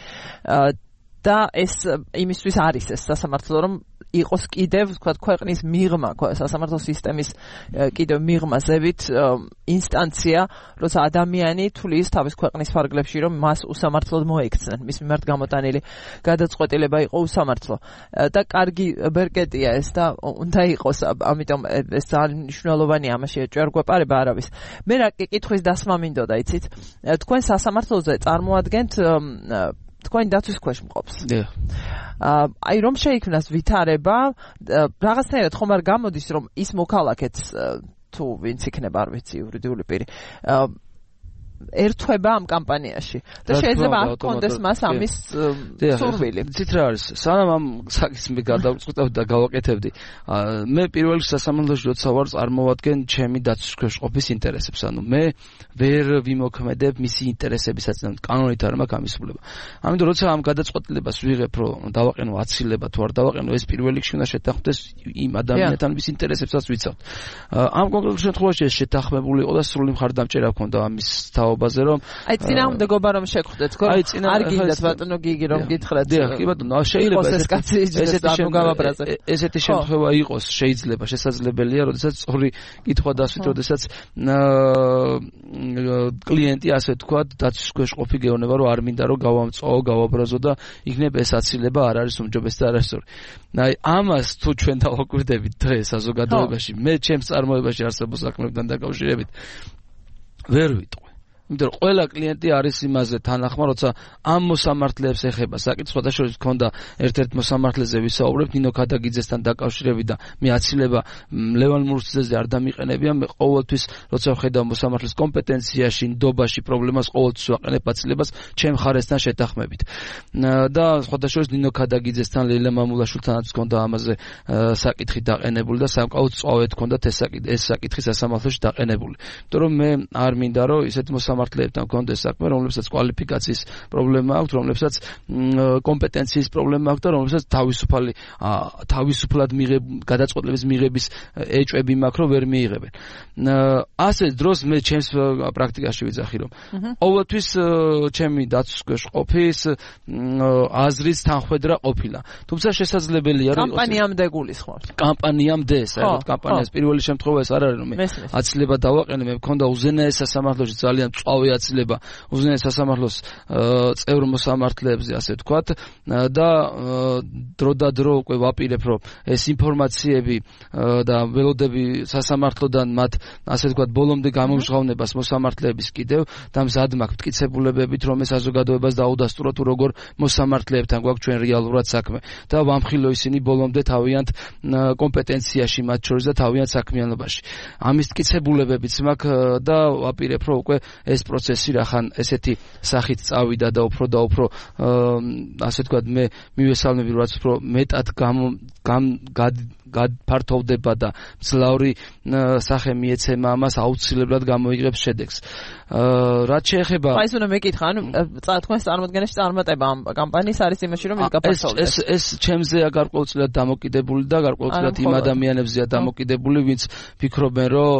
და ეს იმისთვის არის ეს სასამართლო, რომ იყოს კიდევ ვთქვათ ქვეყნის მიღმა, სასამართლო სისტემის კიდევ მიღმაზებით ინსტანცია, როცა ადამიანი თulis თავის ქვეყნის ფარგლებში, რომ მას უსამართლოდ მოექცნენ, მის მიმართ გამოტანილი გადაწყვეტილება იყო უსამართლო. და კარგი ბერკეტია ეს და უნდა იყოს, ამიტომ ეს ძალიან მნიშვნელოვანია, ამაში ჯერ გვეპარება არავის. მე რა კითხვის დასმა მინდოდა, იცით? თქვენ სასამართლოზე წარმოადგენთ თქვენი დაცვის ქვეშ მყოფს. აი რომ შეიქმნას ვითარება, რაღაცნაირად ხომ არ გამოდის, რომ ის მოქალაქეც თუ ვინც იქნება, არ ვიცი, იურიდიული პირი, ერთვება ამ კამპანიაში და შეიძლება არ კონდეს მას ამის სურვილი. ცით რა არის, სანამ ამ საკითხს მე გადავწყვეტავდი და გავაკეთებდი, მე პირველ სასამართლოში როცა ვარ წარმოვადგენ ჩემი დაცვის ქვეშ ყოფის ინტერესებს, ანუ მე ვერ ვიმოქმედებ მისი ინტერესებისაც, კანონით არ მაქვს ამის უფლება. ამიტომ როცა ამ გადაწყვეტილებას ვიღებ, რომ დავაყენო აცილება თუ არ დავაყენო, ეს პირველ რიგში უნდა შეთანხმდეს იმ ადამიანთან, ვის ინტერესებსაც ვიცავთ. ამ კონკრეტულ შემთხვევაში ეს შეთანხმებული იყო და სრული მხარდამჭერა ჰქონდა ამის ბაზე რომ აი წინააღმდეგობა რომ შეგხვდეთ, ხო? არ გინდათ ბატონო გიგი რომ გითხრათ. კი ბატონო, შეიძლება ესეთი შემთხვევა იყოს, შეიძლება, შესაძლებელია, როდესაც სწორი კითხვა დასვით, როდესაც კლიენტი ასე თქვა, დაცვის ქვეშ ყოფი გეუბნება, რომ არ მინდა რომ გავამწვაო, გავაბრაზო და იქნებ ეს აცილება არ არის უმჯობესი და არასწორი. აი ამას თუ ჩვენ დავაკვირდებით დღეს საზოგადოებაში, მე ჩემს წარმოებაში არსებულ საქმეებთან დაკავშირებით ვერ ვიტყვი. იმიტომ რომ ყველა კლიენტი არის იმაზე თანახმა, როცა ამ მოსამართლეებს ეხება საკითხი, შესაძლოა გქონდა ერთ-ერთ მოსამართლეზე ვისაუბრებთ ნინო ქადაგიძესთან დაკავშირებით და მე აცილება ლევან მურსიძეზე არ დამიყენებია, მე ყოველთვის როცა ვხედავ მოსამართლეს კომპეტენციაში, ნდობაში პრობლემას ყოველთვის ვაყენებ აცილებას ჩემ ხარესთან შეთანხმებით. და შესაძლოა ნინო ქადაგიძესთან, ლეილა მამულაშვილთანაც გქონდა ამაზე საკითხი დაყენებული და სამკაულს წვავეთ გქონდათ ეს საკითხი სასამართლოში დაყენებული. იმიტომ რომ მე არ მინდა რომ ისეთ მოსამართლეებთან გქონდეს საქმე, რომლებსაც კვალიფიკაციის პრობლემა აქვს, რომლებსაც კომპეტენციის პრობლემა აქვს და რომლებსაც თავისუფლად გადაწყვეტილების მიღების ეჭვები მაქვს, რომ ვერ მიიღებენ. ასე დროს მე ჩემს პრაქტიკაში ვიძახი, რომ ყოველთვის ჩემი დაცვის ქვეშ ყოფის აზრის თანხმედრა ყოფილა. თუმცა შესაძლებელია რომ კამპანიამდე გულისხმობთ. კამპანიამდე, საერთოდ კამპანიას პირველი შემთხვევა ეს არ არის, რომ მე აცილება დავაყენე, მე მქონდა უზენაეს სასამართლოში ძალიან წვავი აცილება უზენაეს სასამართლოს წევრ მოსამართლეებზე, ასე ვთქვათ, და დრო და დრო უკვე ვაპირებ, რომ ეს ინფორმაციები და ველოდები სასამართლოდან მათ, ასე ვთქვათ, ბოლომდე გამომჟღავნებას მოსამართლეების კიდევ და მზად მაქვს მტკიცებულებებით, რომ ეს საზოგადოებას დაუდასტურო თუ როგორ მოსამართლეებთან გვაქვს ჩვენ რეალურად საქმე და ვამხილო ისინი ბოლომდე თავიანთ კომპეტენციაში, მათ შორის და თავიანთ საქმიანობაში. ამის მტკიცებულებებიც მაქვს და ვაპირებ, რომ უკვე ეს პროცესი რახან ესეთი სახით წავიდა და უფრო ასე თქვა მე მივესალმები რაც უფრო მეტად გაფართოვდება და მძლავრი სახე მიეცემა ამას აუცილებლად გამოიღებს შედეგს. რაც შეეხება ეს უნდა მეკითხა, ანუ თქვენს წარმოდგენაში წარმატება ამ კამპანიის არის იმაში, რომ ის გაფართოვდეს. ეს ჩემზეა გარკვეულწილად დამოკიდებული და გარკვეულწილად იმ ადამიანებზეა დამოკიდებული, ვინც ფიქრობენ, რომ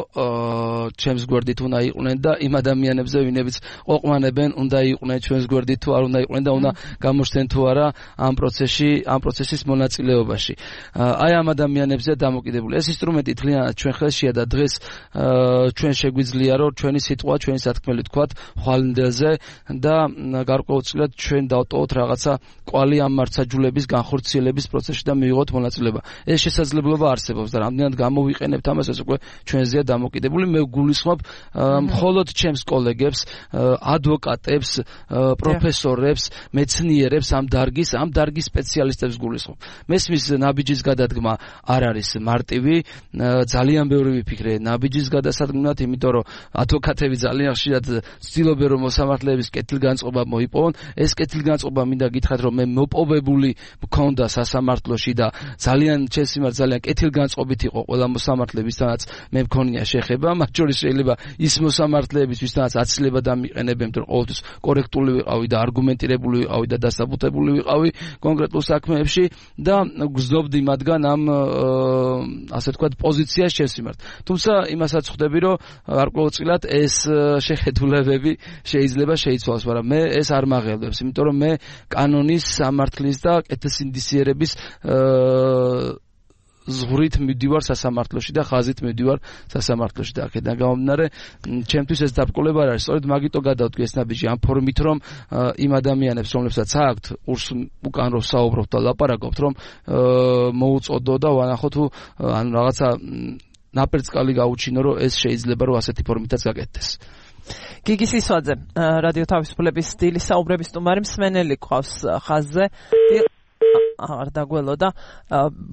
ჩემს გვერდით უნდა იყვნენ და იმ ადამიანებზე, ვინებიც ყვაყვანებენ, უნდა იყვნენ ჩვენს გვერდით თუ არ უნდა იყვნენ და უნდა გამოჩნდნენ თუ არა ამ პროცესის მონაწილეობაში. აი ამ ადამიანებზე დამოკიდებული. ეს ინსტრუმენტი თლიანად ჩვენ ხელშია და დღეს ჩვენ შეგვიძლია რომ ჩვენი სიტყვა, ჩვენი სათქმელი თქვათ ხვალინდელზე და გარკვეულწილად ჩვენ დავტოვოთ რაღაცა კვალი ამ მართლმსაჯულების განხორციელების პროცესში და მივიღოთ მონაწილეობა. ეს შესაძლებლობა არსებობს და რამდენად გამოვიყენებთ ამას, ეს უკვე ჩვენზეა დამოკიდებული. მე გულისხმობ მხოლოდ ჩემს კოლეგებს, ადვოკატებს, პროფესორებს, მეცნიერებს, ამ დარგის სპეციალისტებს გულისხმობ. მესმის ნაბიჯის გადადგმა არ არის მარტივი, ძალიან ბევრი ვიფიქრე ნაბიჯის გადასადგმად, იმიტომ რომ ადვოკატები ძალიან ხშირად ცდილობენ რომ მოსამართლეების კეთილგანწყობა მოიპოვონ. ეს კეთილგანწყობა მინდა გითხრათ რომ მე მოპოვებული მქონდა სასამართლოში და ძალიან ჩემს მიმართ ძალიან კეთილგანწყობით იყო ყველა მოსამართლე, ვისთანაც მე მქონია შეხება, მათ შორის შეიძლება ის მოსამართლეების ვისთანაც აცილება დამიყენებენ, რომ ყოველთვის კორექტული ვიყავი და არგუმენტირებული ვიყავი და დასაბუთებული ვიყავი კონკრეტულ საქმეებში და გზნობდი მათგან ამ ასე თქვათ პოზიციას ჩემს მიმართ. თუმცა იმასაც ხვდები რომ გარკვეულწილად ეს შეხედულებები შეიძლება შეიცვალოს, მაგრამ მე ეს არ მაღელვებს, იმიტომ რომ მე კანონის, სამართლის და კეთილსინდისიერების ზღვრით მივდივარ სასამართლოში და ხაზით მივდივარ სასამართლოში და აქედან გამომდინარე ჩემთვის ეს დაბრკოლება არ არის. სწორედ მაგიტო გადავდგე ეს ნაბიჯი ამ ფორმით, რომ იმ ადამიანებს, რომლებსაც აქვთ უკან რომ საუბრობთ და ლაპარაკობთ, რომ მოუწოდო და ვანახო თუ ანუ რაღაცა ნაპერწკალი გაუჩინო, რომ ეს შეიძლება რომ ასეთი ფორმითაც გაკეთდეს. გიგი სისვაძე, რადიო თავისუფლების სტილის საუბრების სტუმარი, მსმენელი ყავს ხაზზე. არ დაგველო და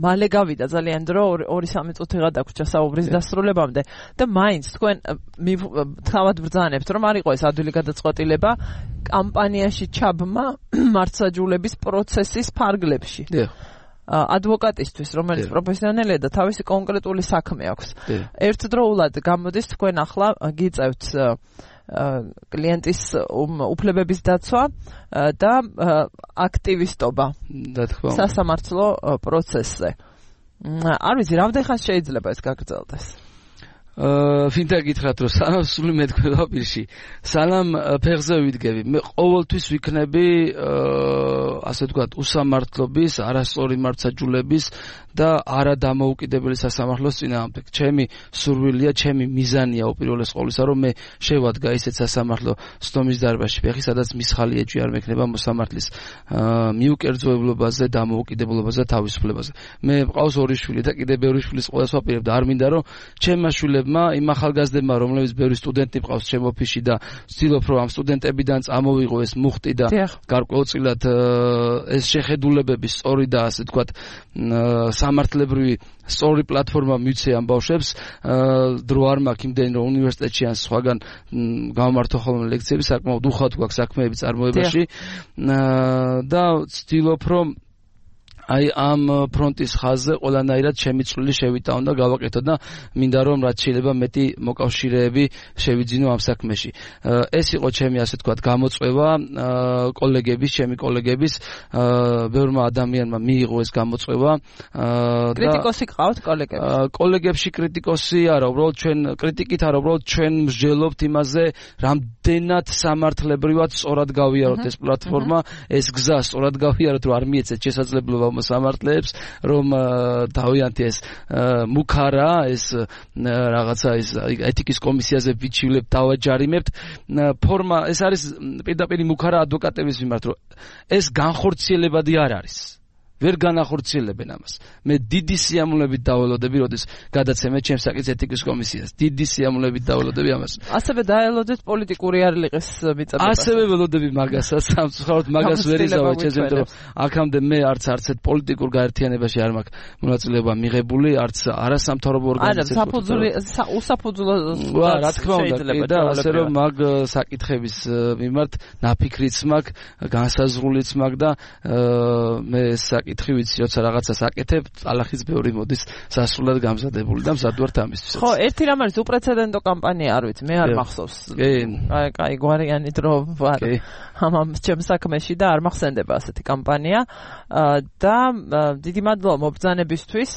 მალე გავიდა ძალიან დრო 2-3 წუთიღა დაგვრჩა საუბრის დასრულებამდე და მაინც თქვენ თავად ბრძანებთ რომ არ იყო ეს ადვილი გადაწყვეტილება კამპანიაში ჩაბმა მართლმსაჯულების პროცესის ფარგლებში. ადვოკატისთვის, რომელიც პროფესიონალია და თავისი კონკრეტული საქმე აქვს. ერთდროულად გამოდის თქვენ ახლა გიწევთ კლიენტის უფლებების დაცვა და აქტივისტობა სასამართლო პროცესზე. არ ვიცი, რამდენ ხანს შეიძლება ეს გაგრძელდეს? ვინდა გითხრათ რომ სანამ სული მეთქვევა პირში, სანამ ფეხზე ვიდგები, მე ყოველთვის ვიქნები ასე ვთქვათ უსამართლობის, არასწორი მართლმსაჯულების და არადამოუკიდებელი სასამართლოს წინააღმდეგ. ჩემი სურვილია, ჩემი მიზანია უპირველეს ყოვლისა, რომ მე შევადგა ისეთ სასამართლო სტომის დარბაზში ფეხი, სადაც მისხალი ეჭვი არ მექნება მოსამართლის მიუკერძოებლობაზე, დამოუკიდებლობაზე, თავისუფლებაზე. მე მყავს 2 შვილი და კიდე ბევრი შვილის ყველას ვაპირებ და არ მინდა რომ ჩემმა შვილებმა, იმ ახალგაზრდებმა, რომლებიც ბევრი სტუდენტი მყავს ჩემ ოფისში და ვცდილობ რომ ამ სტუდენტებიდან წამოვიღო ეს მუხტი და გარკვეულწილად ეს შეხედულებები სწორი და ასე ვთქვათ სამართლებრივი სწორი პლატფორმა მივცე ამ ბავშვებს, დრო არ მაქვს იმდენი რომ უნივერსიტეტში ან სხვაგან გამართო ხოლმე ლექციები, საკმაოდ უხალოდ გვაქვს საქმეები წარმოებაში და ვცდილობ რომ აი ამ ფრონტის ხაზზე ყველანაირად ჩემი წვლილი შევიტანო და გავაკეთო და მინდა რომ რაც შეიძლება მეტი მოკავშირეები შევიძინო ამ საქმეში. ეს იყო ჩემი ასე ვთქვათ გამოწვევა ჩემი კოლეგების ბევრმა ადამიანმა მიიღო ეს გამოწვევა. კრიტიკოსი ყავთ კოლეგებში? კოლეგებში კრიტიკოსი არა, უბრალოდ ჩვენ კრიტიკით არა, უბრალოდ ჩვენ მსჯელობთ იმაზე, რამდენად სამართლებრივად სწორად გავიაროთ ეს პლატფორმა, ეს გზა სწორად გავიაროთ, რომ არ მიეცეთ შესაძლებლობა მოსამართლეებს, რომ თავიანთი ეს მუქარა, ეს რაღაცა ეს ეთიკის კომისიაზე ვიჩივლებთ, დავაჯარიმებთ. ფორმა ეს არის პირდაპირ მუქარა ადვოკატების მიმართ, რომ ეს განხორციელებადი არ არის. ვერ განახორციელებენ ამას. მე დიდი სიამოვნებით დაველოდები, როდის გადაცემე ჩემს საკითხის ეთიკის კომისიას. დიდი სიამოვნებით დაველოდები ამას. ასევე დაელოდეთ პოლიტიკური არლიყის მიწებებას. ასევე ველოდები მაგასაც, სამწუხაროდ მაგას ვერ იზავებ ჩემს, იმიტომ რომ აქამდე მე არც ერთ პოლიტიკურ გაერთიანებაში არ მაქვს მონაწილეობა მიღებული, არც არასამთავრობო ორგანიზაციებში. უსაფუძვლო რა თქმა უნდა, და ასე რომ მაგ საკითხების მიმართ ნაფიქრიც მაქვს, განსაზღვრულიც მაქვს და მე საკითხი ვიცი, როცა რაღაცას აკეთებ, ალახის ბევრი მოდის სასრულად გამზადებული და მზად ვარ ამისთვის. ხო, ერთი რამ არის უპრეცედენტო კამპანია, არ ვიცი, მე არ მახსოვს. აი, გვარიანი დრო ვარ ამ ჩემს საქმეში და არ მახსენდება ასეთი კამპანია და დიდი მადლობა მობრძანებისთვის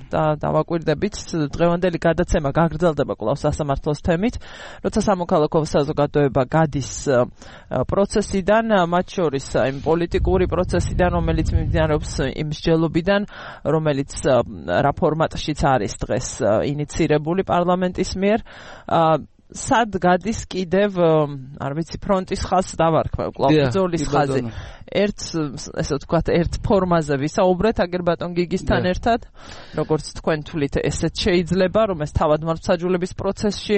და დავაკვირდებით დღევანდელი გადაცემა გაგრძელდება კვლავ სასამართლოს თემით, როცა სამოქალაქო საზოგადოება გადის პროცესიდან, მათ შორის იმ პოლიტიკური პროცესიდან, რომელიც მიმდინარეობს იმ მსჯელობიდან, რომელიც რა ფორმატშიც არის დღეს ინიცირებული პარლამენტის მიერ. სად გადის კიდევ, არ ვიცი, ფრონტის ხაზს დავარქმევ, კვლავ ბრძოლის ხაზი. ესე ვთქვათ, ერთ ფორმაზე ვისაუბრეთ აგერ ბატონ გიგისთან ერთად, როგორც თქვენ თვლით, ესეც შეიძლება, რომ ეს თავად მართლმსაჯულების პროცესში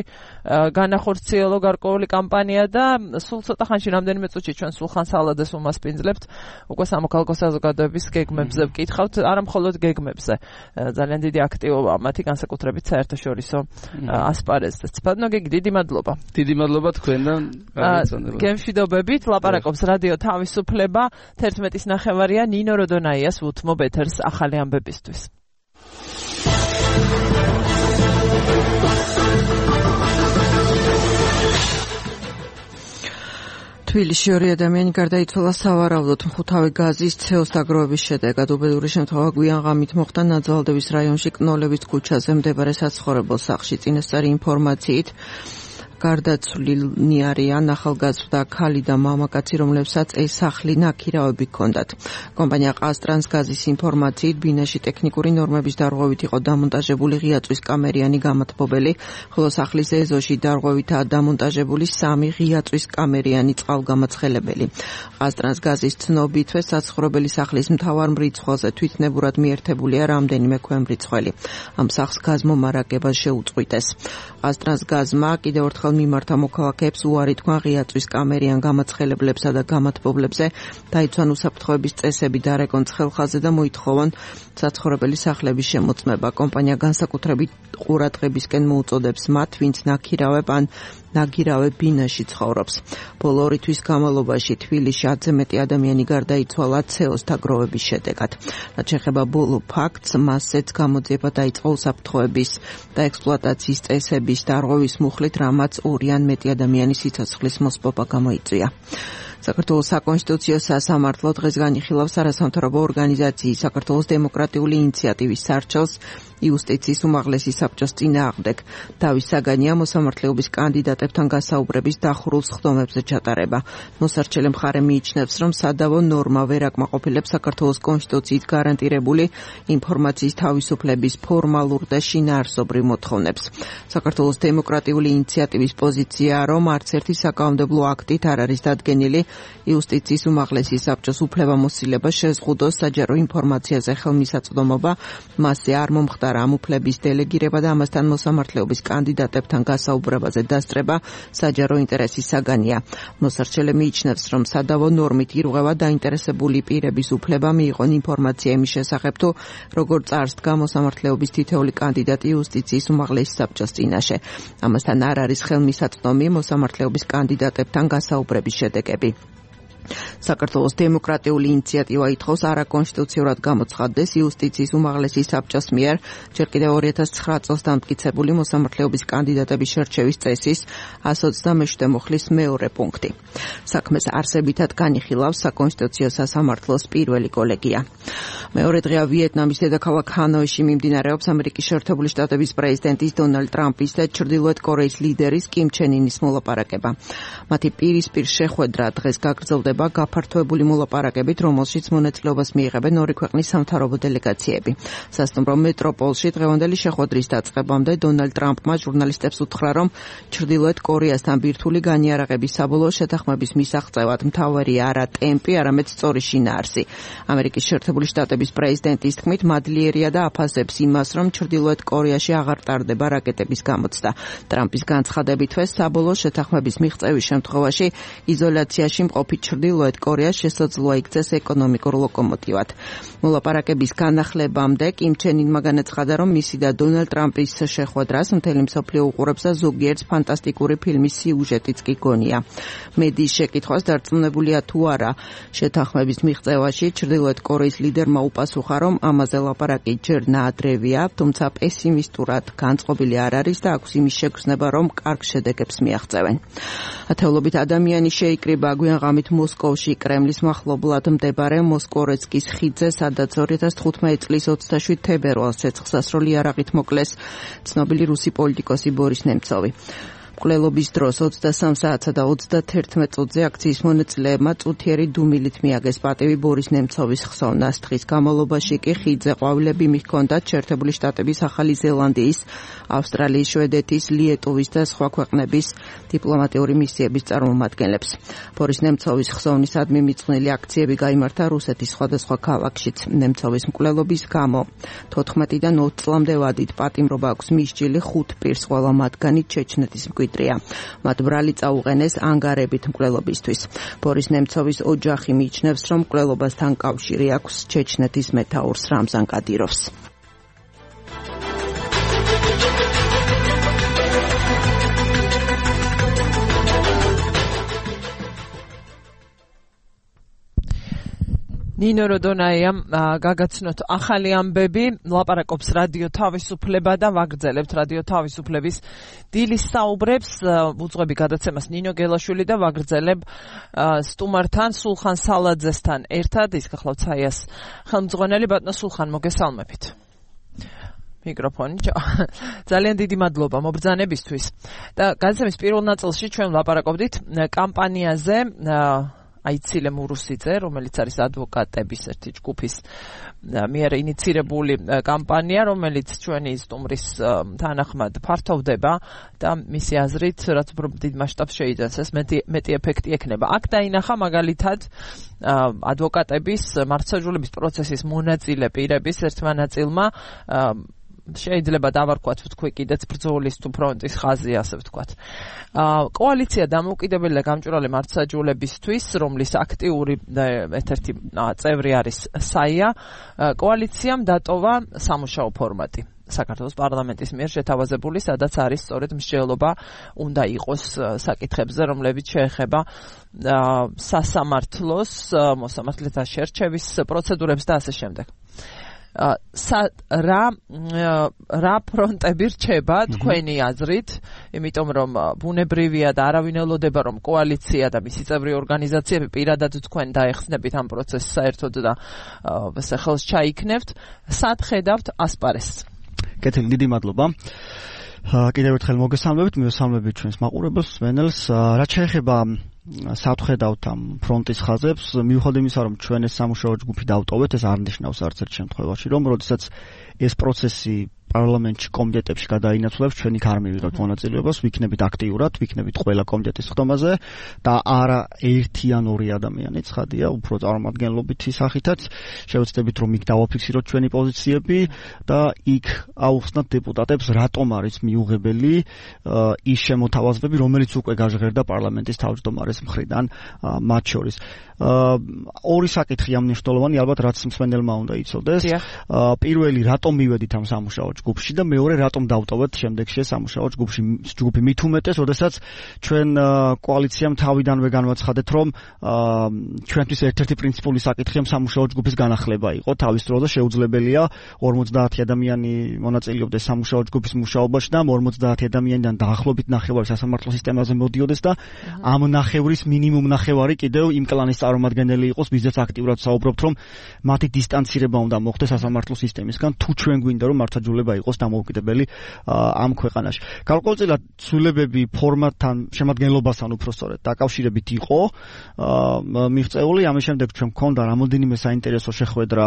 განახორციელო გარკვეული კამპანია და სულ ცოტა ხანში რამდენიმე წუთში ჩვენ სულხან სალადეს უმასპინძლებთ, უკვე სამოქალაქო საზოგადოების გეგმებზე ვკითხავთ, არა მხოლოდ გეგმებზე. ძალიან დიდი აქტივობა მათი განსაკუთრებით საერთაშორისო ასპარეზზეც. ბატონო გიგი, დიდი მადლობა. დიდი მადლობა თქვენთან. გემშვიდობებით, ლაპარაკობს რადიო თავისუფლება. 11-ის ნახევარია ნინო როდონაიას უთმობ ეთერს ახალი ამბებისთვის. თბილისში 2 ადამიანი გარდაიცვალა სავარაუდოდ მხუთავი გაზის ცეოს დაგროვების შედეგად. უბედური შემთხვევა გვიან ღამით მოხდა ნაძალდების რაიონში კნოლების ქუჩაზე მდებარე საცხოვრებელ სახლში. წინასწარი ინფორმაციით გარდაცვლილნი არიან ახალგაზრდა ქალი და მამაკაცი, რომლებსაც ეს სახლი ნაქირავები ჰქონდათ. კომპანია ყაზტრანსგაზის ინფორმაციით ბინაში ტექნიკური ნორმების დარღვევით იყო დამონტაჟებული ღია წვის კამერიანი გამათბობელი, ხოლო სახლის ეზოში დარღვევითაა დამონტაჟებული 3 ღია წვის კამერიანი წყალგამაცხელებელი. ყაზტრანსგაზის ცნობითვე საცხოვრებელი სახლის მთავარ მრიცხვაზე თვითნებურად მიერთებულია რამდენიმე ქვემრიცხველი. ამ სახლს გაზმომარაგება შეუწყვიტეს. ყაზტრანსგაზმა კიდევ ერთხელ მიმართა მოქალაქეებს უარი თქვა ღია წვის კამერიან გამაცხელებლებსა და გამათბობლებზე, დაიცვან უსაფრთხოების წესები დარეკონ ცხელხაზე და მოითხოვონ საცხოვრებელი სახლების შემოწმება. კომპანია განსაკუთრებით ყურადღებისკენ მოუწოდებს მათ, ვინც ნაქირავებ ან ნაგირავებ ბინაში ცხოვრობს. ბოლო 2 თვის განმავლობაში თბილისში 10-ზე მეტი ადამიანი გარდაიცვალა ცეოს დაგროვების შედეგად. რაც შეეხება ბოლო ფაქტს, მასზეც გამოძიება დაიწყო უსაფრთხოების და ექსპლუატაციის წესების დარღვევის მუხლით, რამაც 2 ან მეტი ადამიანის სიცოცხლის მოსპობა გამოიწვია. საქართველოს საკონსტიტუციო სასამართლო დღეს განიხილავს არასამთავრობო ორგანიზაციის საქართველოს დემოკრატიული ინიციატივის სარჩელს იუსტიციის უმაღლესი საბჭოს წინააღმდეგ. დავის საგანია მოსამართლეობის კანდიდატებთან გასაუბრების დახურულ სხდომებზე ჩატარება. მოსარჩელე მხარე მიიჩნევს, რომ სადავო ნორმა ვერ აკმაყოფილებს საქართველოს კონსტიტუციით გარანტირებული ინფორმაციის თავისუფლების ფორმალურ და შინაარსობრივ მოთხოვნებს. საქართველოს დემოკრატიული ინიციატივის პოზიციაა, რომ არც ერთი საკანონმდებლო აქტით არ არის დადგენილი იუსტიციის უმაღლესი საბჭოს უფლებამოსილება შეზღუდოს საჯარო ინფორმაციაზე ხელმისაწვდომობა, მასზე არ მომხდარა ამ უფლების დელეგირება და ამასთან მოსამართლეობის კანდიდატებთან გასაუბრებაზე დასწრება საჯარო ინტერესის საგანია. მოსარჩელე მიიჩნევს, რომ სადავო ნორმით ირღვევა დაინტერესებული პირების უფლება მიიღონ ინფორმაცია იმის შესახებ, თუ როგორ წარსდგა მოსამართლეობის თითოეული კანდიდატი იუსტიციის უმაღლესი საბჭოს წინაშე. ამასთან არ არის ხელმისაწვდომი მოსამართლეობის კანდიდატებთან გასაუბრების შედეგები. საქართველოს დემოკრატიული ინიციატივა ითხოვს არაკონსტიტუციურად გამოცხადდეს იუსტიციის უმაღლესი საბჭოს მიერ ჯერ კიდევ 2009 წელს დამტკიცებული მოსამართლეობის კანდიდატების შერჩევის წესის 127 მუხლის მეორე პუნქტი. საქმეს არსებითად განიხილავს საკონსტიტუციო სასამართლოს პირველი კოლეგია. მეორე დღეა ვიეტნამის დედაქალაქ ჰანოიში მიმდინარეობს ამერიკის შეერთებული შტატების პრეზიდენტის დონალდ ტრამპის და ჩრდილოეთ კორეის ლიდერის კიმ ჩენ ინის მოლაპარაკება. მათი პირისპირ შეხვედრა დღეს გაგრძელდება ხდება გაფართოებული მოლაპარაკებით, რომელშიც მონაწილეობას მიიღებენ ორი ქვეყნის სამთავრობო დელეგაციები. სასტუმრო მეტროპოლში დღევანდელი შეხვედრის დაწყებამდე დონალდ ტრამპმა ჟურნალისტებს უთხრა, რომ ჩრდილოეთ კორეასთან ბირთვული განიარაღების საბოლოო შეთანხმების მისაღწევად მთავარია არა ტემპი, არამედ სწორი შინაარსი. ამერიკის შეერთებული შტატების პრეზიდენტის თქმით, მადლიერია და აფასებს იმას, რომ ჩრდილოეთ კორეაში აღარ ტარდება რაკეტების გამოცდა. ტრამპის განცხადებითვე საბოლოო შეთანხმების მიღწევის შემთხვევაში იზოლაციაში მყოფი ჩრდილოეთ კორეას შესაძლოა იქცეს ეკონომიკურ ლოკომოტივად. მოლაპარაკების განახლებამდე კიმ ჩენ ინმა განაცხადა, რომ მისი და დონალდ ტრამპის შეხვედრას მთელი მსოფლიო უყურებს და ზოგიერთ ფანტასტიკური ფილმის სიუჟეტიც კი გონია. მედიის შეკითხვას დარწმუნებულია თუ არა შეთანხმების მიღწევაში, ჩრდილოეთ კორეის ლიდერმა უპასუხა, რომ ამაზე ლაპარაკი ჯერ ნაადრევია, თუმცა პესიმისტურად განწყობილი არ არის და აქვს იმის შეგრძნება, რომ კარგ შედეგებს მიაღწევენ. ათეულობით ადამიანი შეიკრიბა გვიანღამით მოსკოვში კრემლის მახლობლად მდებარე მოსკოვეცკის ხიდზე, სადაც 2015 წლის 27 თებერვალს ცეცხლსასროლი იარაღით მოკლეს ცნობილი რუსი პოლიტიკოსი ბორის ნემცოვი. მკვლელობის დროს 23 საათსა და 31 წუთზე აქციის მონაწილეებმა წუთიერი დუმილით მიაგეს პატივი ბორის ნემცოვის ხსოვნას. დღის განმავლობაში კი ხიდზე ყვავილები მიჰქონდათ შეერთებული შტატების, ახალი ზელანდიის, ავსტრალიის, შვედეთის, ლიეტუვის და სხვა ქვეყნების დიპლომატიური მისიების წარმომადგენლებს. ბორის ნემცოვის ხსოვნისადმი მიწყნილი აქციები გაიმართა რუსეთის სხვადასხვა ქალაქშიც. ნემცოვის მკვლელობის გამო 14-დან 20 წლამდე ვადით პატიმრობა აქვს მისჯილი 5 პირს, ყველა მათგანი ჩეჩნეთის მათ ბრალი წაუყენეს ანგარებით მკვლელობისთვის. ბორის ნემცოვის ოჯახი მიიჩნევს, რომ მკვლელობასთან კავშირი აქვს ჩეჩნეთის მეთაურს რამზან კადიროვს. ნინო როდონაიამ გაგაცნოთ ახალი ამბები, ლაპარაკობს რადიო თავისუფლება და ვაგრძელებთ რადიო თავისუფლების დილის საუბრებს, უძღვები გადაცემას ნინო გელაშვილი და ვაგრძელებ სტუმართან სულხან სალაძესთან ერთად. ის გახლავთ საიას ხელმძღვანელი. ბატონო სულხან, მოგესალმებით. მიკროფონი. ძალიან დიდი მადლობა მობრძანებისთვის. და გადაცემის პირველ ნაწილში ჩვენ ლაპარაკობდით კამპანიაზე აიცილე მურუსიძე, რომელიც არის ადვოკატების ერთი ჯგუფის მიერ ინიცირებული კამპანია, რომელიც ჩვენი სტუმრის თანახმად ფართოვდება და მისი აზრით, რაც უფრო დიდ მასშტაბს შეიძენს, ეს მეტი ეფექტი ექნება. აქ დაინახა მაგალითად ადვოკატების მართლმსაჯულების პროცესის მონაწილე პირების ერთმა ნაწილმა შეიძლება დავარქვათ ვთქვი კიდეც ბრძოლის თუ ფრონტის ხაზი, ასე ვთქვათ. კოალიცია დამოუკიდებელია გამჭვირვალე მართლმსაჯულებისთვის, რომლის აქტიური ერთ-ერთი წევრი არის საია. კოალიციამ დატოვა სამუშაო ფორმატი საქართველოს პარლამენტის მიერ შეთავაზებული, სადაც არის სწორედ მსჯელობა უნდა იყოს საკითხებზე, რომლებიც შეეხება სასამართლოს, მოსამართლეთა შერჩევის პროცედურებს და ასე შემდეგ. რა ფრონტები რჩება თქვენი აზრით, იმიტომ რომ ბუნებრივია და არავინ ელოდება რომ კოალიცია და მისი წევრი ორგანიზაციები პირადად თქვენ დაეხსნებით ამ პროცესს საერთოდ და ხელს ჩაიქნევთ. სად ხედავთ ასპარესს? კეთილი, დიდი მადლობა. კიდევ ერთხელ მოგესალმებით, მივესალმებით ჩვენს მაყურებელს, მსმენელს. რაც შეეხება სათხედავთ ამ ფრონტის ხაზებს, მიუხედავად იმისა, რომ ჩვენ ეს სამუშაო ჯგუფი დავტოვეთ, ეს არ ნიშნავს არც ერთ შემთხვევაში, რომ როდესაც ეს პროცესი პარლამენტში კომიტეტებში გადაინაცვლებს, ჩვენ იქ არ მივიღებთ მონაწილეობას, ვიქნებით აქტიურად, ვიქნებით ყველა კომიტეტის ხდომაზე და არა ერთი ან ორი ადამიანი, ცხადია, უფრო წარმომადგენლობითი სახითაც შევეცდებით, რომ იქ დავაფიქსიროთ ჩვენი პოზიციები და იქ აუხსნათ დეპუტატებს, რატომ არის მიუღებელი ის შემოთავაზებები, რომელიც უკვე გაჟღერდა პარლამენტის თავმჯდომარის მხრიდან მათ შორის. ორი საკითხია მნიშვნელოვანი, ალბათ რაც მსმენელმა უნდა იცოდეს. პირველი, რატომ მივედით ამ სამუშაო ჯგუფში და მეორე, რატომ დავტოვეთ შემდეგში სამუშაო ჯგუფი მით უმეტეს, როდესაც ჩვენ კოალიციამ თავიდანვე განვაცხადეთ, რომ ჩვენთვის ერთ-ერთი პრინციპული საკითხია სამუშაო ჯგუფის განახლება იყო, თავის დროზე შეუძლებელია 50 ადამიანი მონაწილეობდეს სამუშაო ჯგუფის მუშაობაში და 50 ადამიანიდან დაახლოებით ნახევარი სასამართლო სისტემაზე მოდიოდეს და ამ ნახევრის მინიმუმ ნახევარი კიდევ იმ კლანის წარმომადგენელი იყოს, ვიზეც აქტიურად საუბრობთ, რომ მათი დისტანცირება უნდა მოხდეს სასამართლო სისტემისგან, თუ ჩვენ გვინდა რომ მართლმსაჯულება შეიძლება იყოს დამოუკიდებელი ამ ქვეყანაში. გარკვეულწილად ცვლილებები ფორმატთან, შემადგენლობასთან უпростоრად დაკავშირებით იყო მიღწეული, ამის შემდეგ ჩვენ მქონდა რამოდენიმე საინტერესო შეხვედრა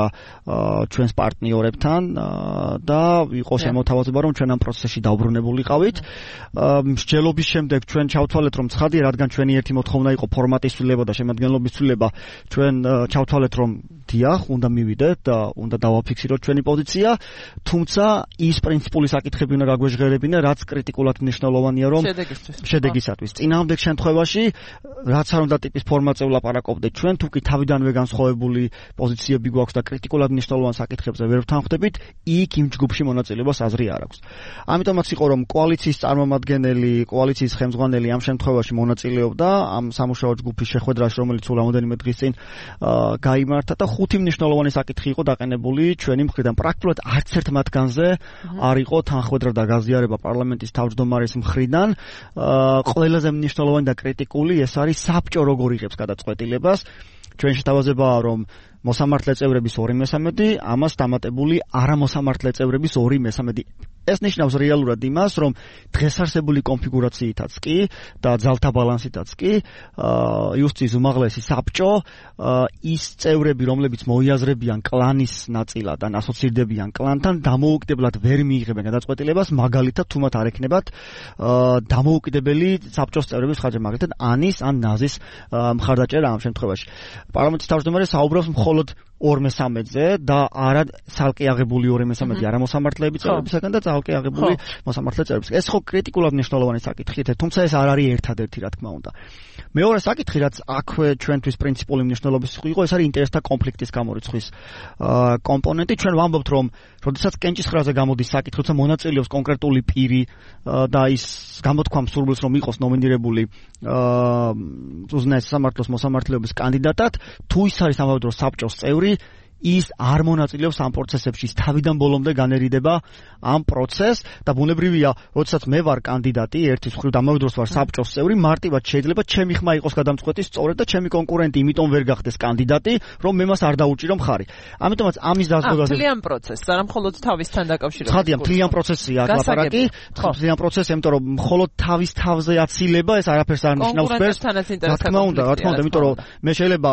ჩვენს პარტნიორებთან და იყო შემოთავაზება, რომ ჩვენ ამ პროცესში დაუბრუნებულიყავით. მსჯელობის შემდეგ ჩვენ ჩავთვალეთ, რომ ცხადია, რადგან ჩვენი ერთი მოთხოვნა იყო ფორმატის ცვლილება და შემადგენლობის ცვლილება, ჩვენ ჩავთვალეთ, რომ დიახ, უნდა მივიდეთ და უნდა დავაფიქსიროთ ჩვენი პოზიცია, თუმცა ის პრინციპული საკითხები უნდა გაგვეჟღერებინა, რაც კრიტიკულად მნიშვნელოვანია, რომ შედეგისათვის. წინააღმდეგ შემთხვევაში, რაც არ უნდა ტიპის ფორმატზე ვლაპარაკობდეთ ჩვენ, თუ კი თავიდანვე განსხვავებული პოზიციები გვაქვს და კრიტიკულად მნიშვნელოვან საკითხებზე ვერ ვთანხმდებით, იქ იმ ჯგუფში მონაწილეობას აზრი არ აქვს. ამიტომაც იყო, რომ კოალიციის წარმომადგენელი, კოალიციის ხელმძღვანელი ამ შემთხვევაში მონაწილეობდა ამ სამუშაო ჯგუფის შეხვედრაში, რომელიც სულ რამოდენიმე დღის წინ გაიმართა და 5 მნიშვნელოვანი საკითხი იყო დაყენებული ჩვენი მხრიდან. პრაქტიკულად არც ერთ მათგანზე არ იყო თანხმედრა და გაზიარება პარლამენტის თავმჯდომარის მხრიდან. ყველაზე მნიშვნელოვანი და კრიტიკული ეს არის საბჭო როგორ იღებს გადაწყვეტილებას. ჩვენ შეთავაზებაა, რომ მოსამართლე წევრების 2/3, ამას დამატებული არამოსამართლე წევრების 2/3. ეს ნიშნავს რეალურად იმას, რომ დღეს არსებული კონფიგურაციითაც კი და ძალთა ბალანსითაც კი იუსტიციის უმაღლესი საბჭო ის წევრები, რომლებიც მოიაზრებიან კლანის ნაწილად ან ასოცირდებიან კლანთან, დამოუკიდებლად ვერ მიიღებენ გადაწყვეტილებას, მაგალითად თუ მათ არ ექნებათ დამოუკიდებელი საბჭოს წევრების ხარჯი, მაგალითად ანის ან ნაზის მხარდაჭერა ამ შემთხვევაში. პარლამენტის თავმჯდომარე საუბრობს მხოლოდ 2/3-ზე და არა ცალკე აღებული 2/3 არამოსამართლეების წევრებისგან და ცალკე აღებული მოსამართლე წევრებისგან. ეს ხო კრიტიკულად მნიშვნელოვანი საკითხია, თუმცა ეს არ არის ერთადერთი, რა თქმა უნდა. მეორე საკითხი, რაც აქვე ჩვენთვის პრინციპული მნიშვნელობის იყო, ეს არის ინტერესთა კონფლიქტის გამორიცხვის კომპონენტი. ჩვენ ვამბობთ, რომ როდესაც კენჭისყრაზე გამოდის საკითხი, თუმცა მონაწილეობს კონკრეტული პირი და ის გამოთქვამს სურვილს, რომ იყოს ნომინირებული უზენაეს სასამართლოს მოსამართლეობის კანდიდატად, თუ ის არის ამავე დროს საბჭოს წევრი, ის არ მონაწილეობს ამ პროცესებში, ის თავიდან ბოლომდე განერიდება ამ პროცესს და ბუნებრივია, როდესაც მე ვარ კანდიდატი, ერთის მხრივ და ამავე დროს ვარ საბჭოს წევრი, მარტივად შეიძლება ჩემი ხმა იყოს გადამწყვეტი სწორედ და ჩემი კონკურენტი იმიტომ ვერ გახდეს კანდიდატი, რომ მე მას არ დაუჭირო მხარი. ამიტომაც ამის დაზოგადება მთლიან პროცესს, არა მხოლოდ თავისთან დაკავშირებით. ხადია, მთლიან პროცესია აქ ლაპარაკი, მთლიან პროცესი, იმიტომ რომ მხოლოდ თავის თავზე აცილება, ეს არაფერს არ ნიშნავს ფერს. რა თქმა უნდა, იმიტომ რომ მე შეიძლება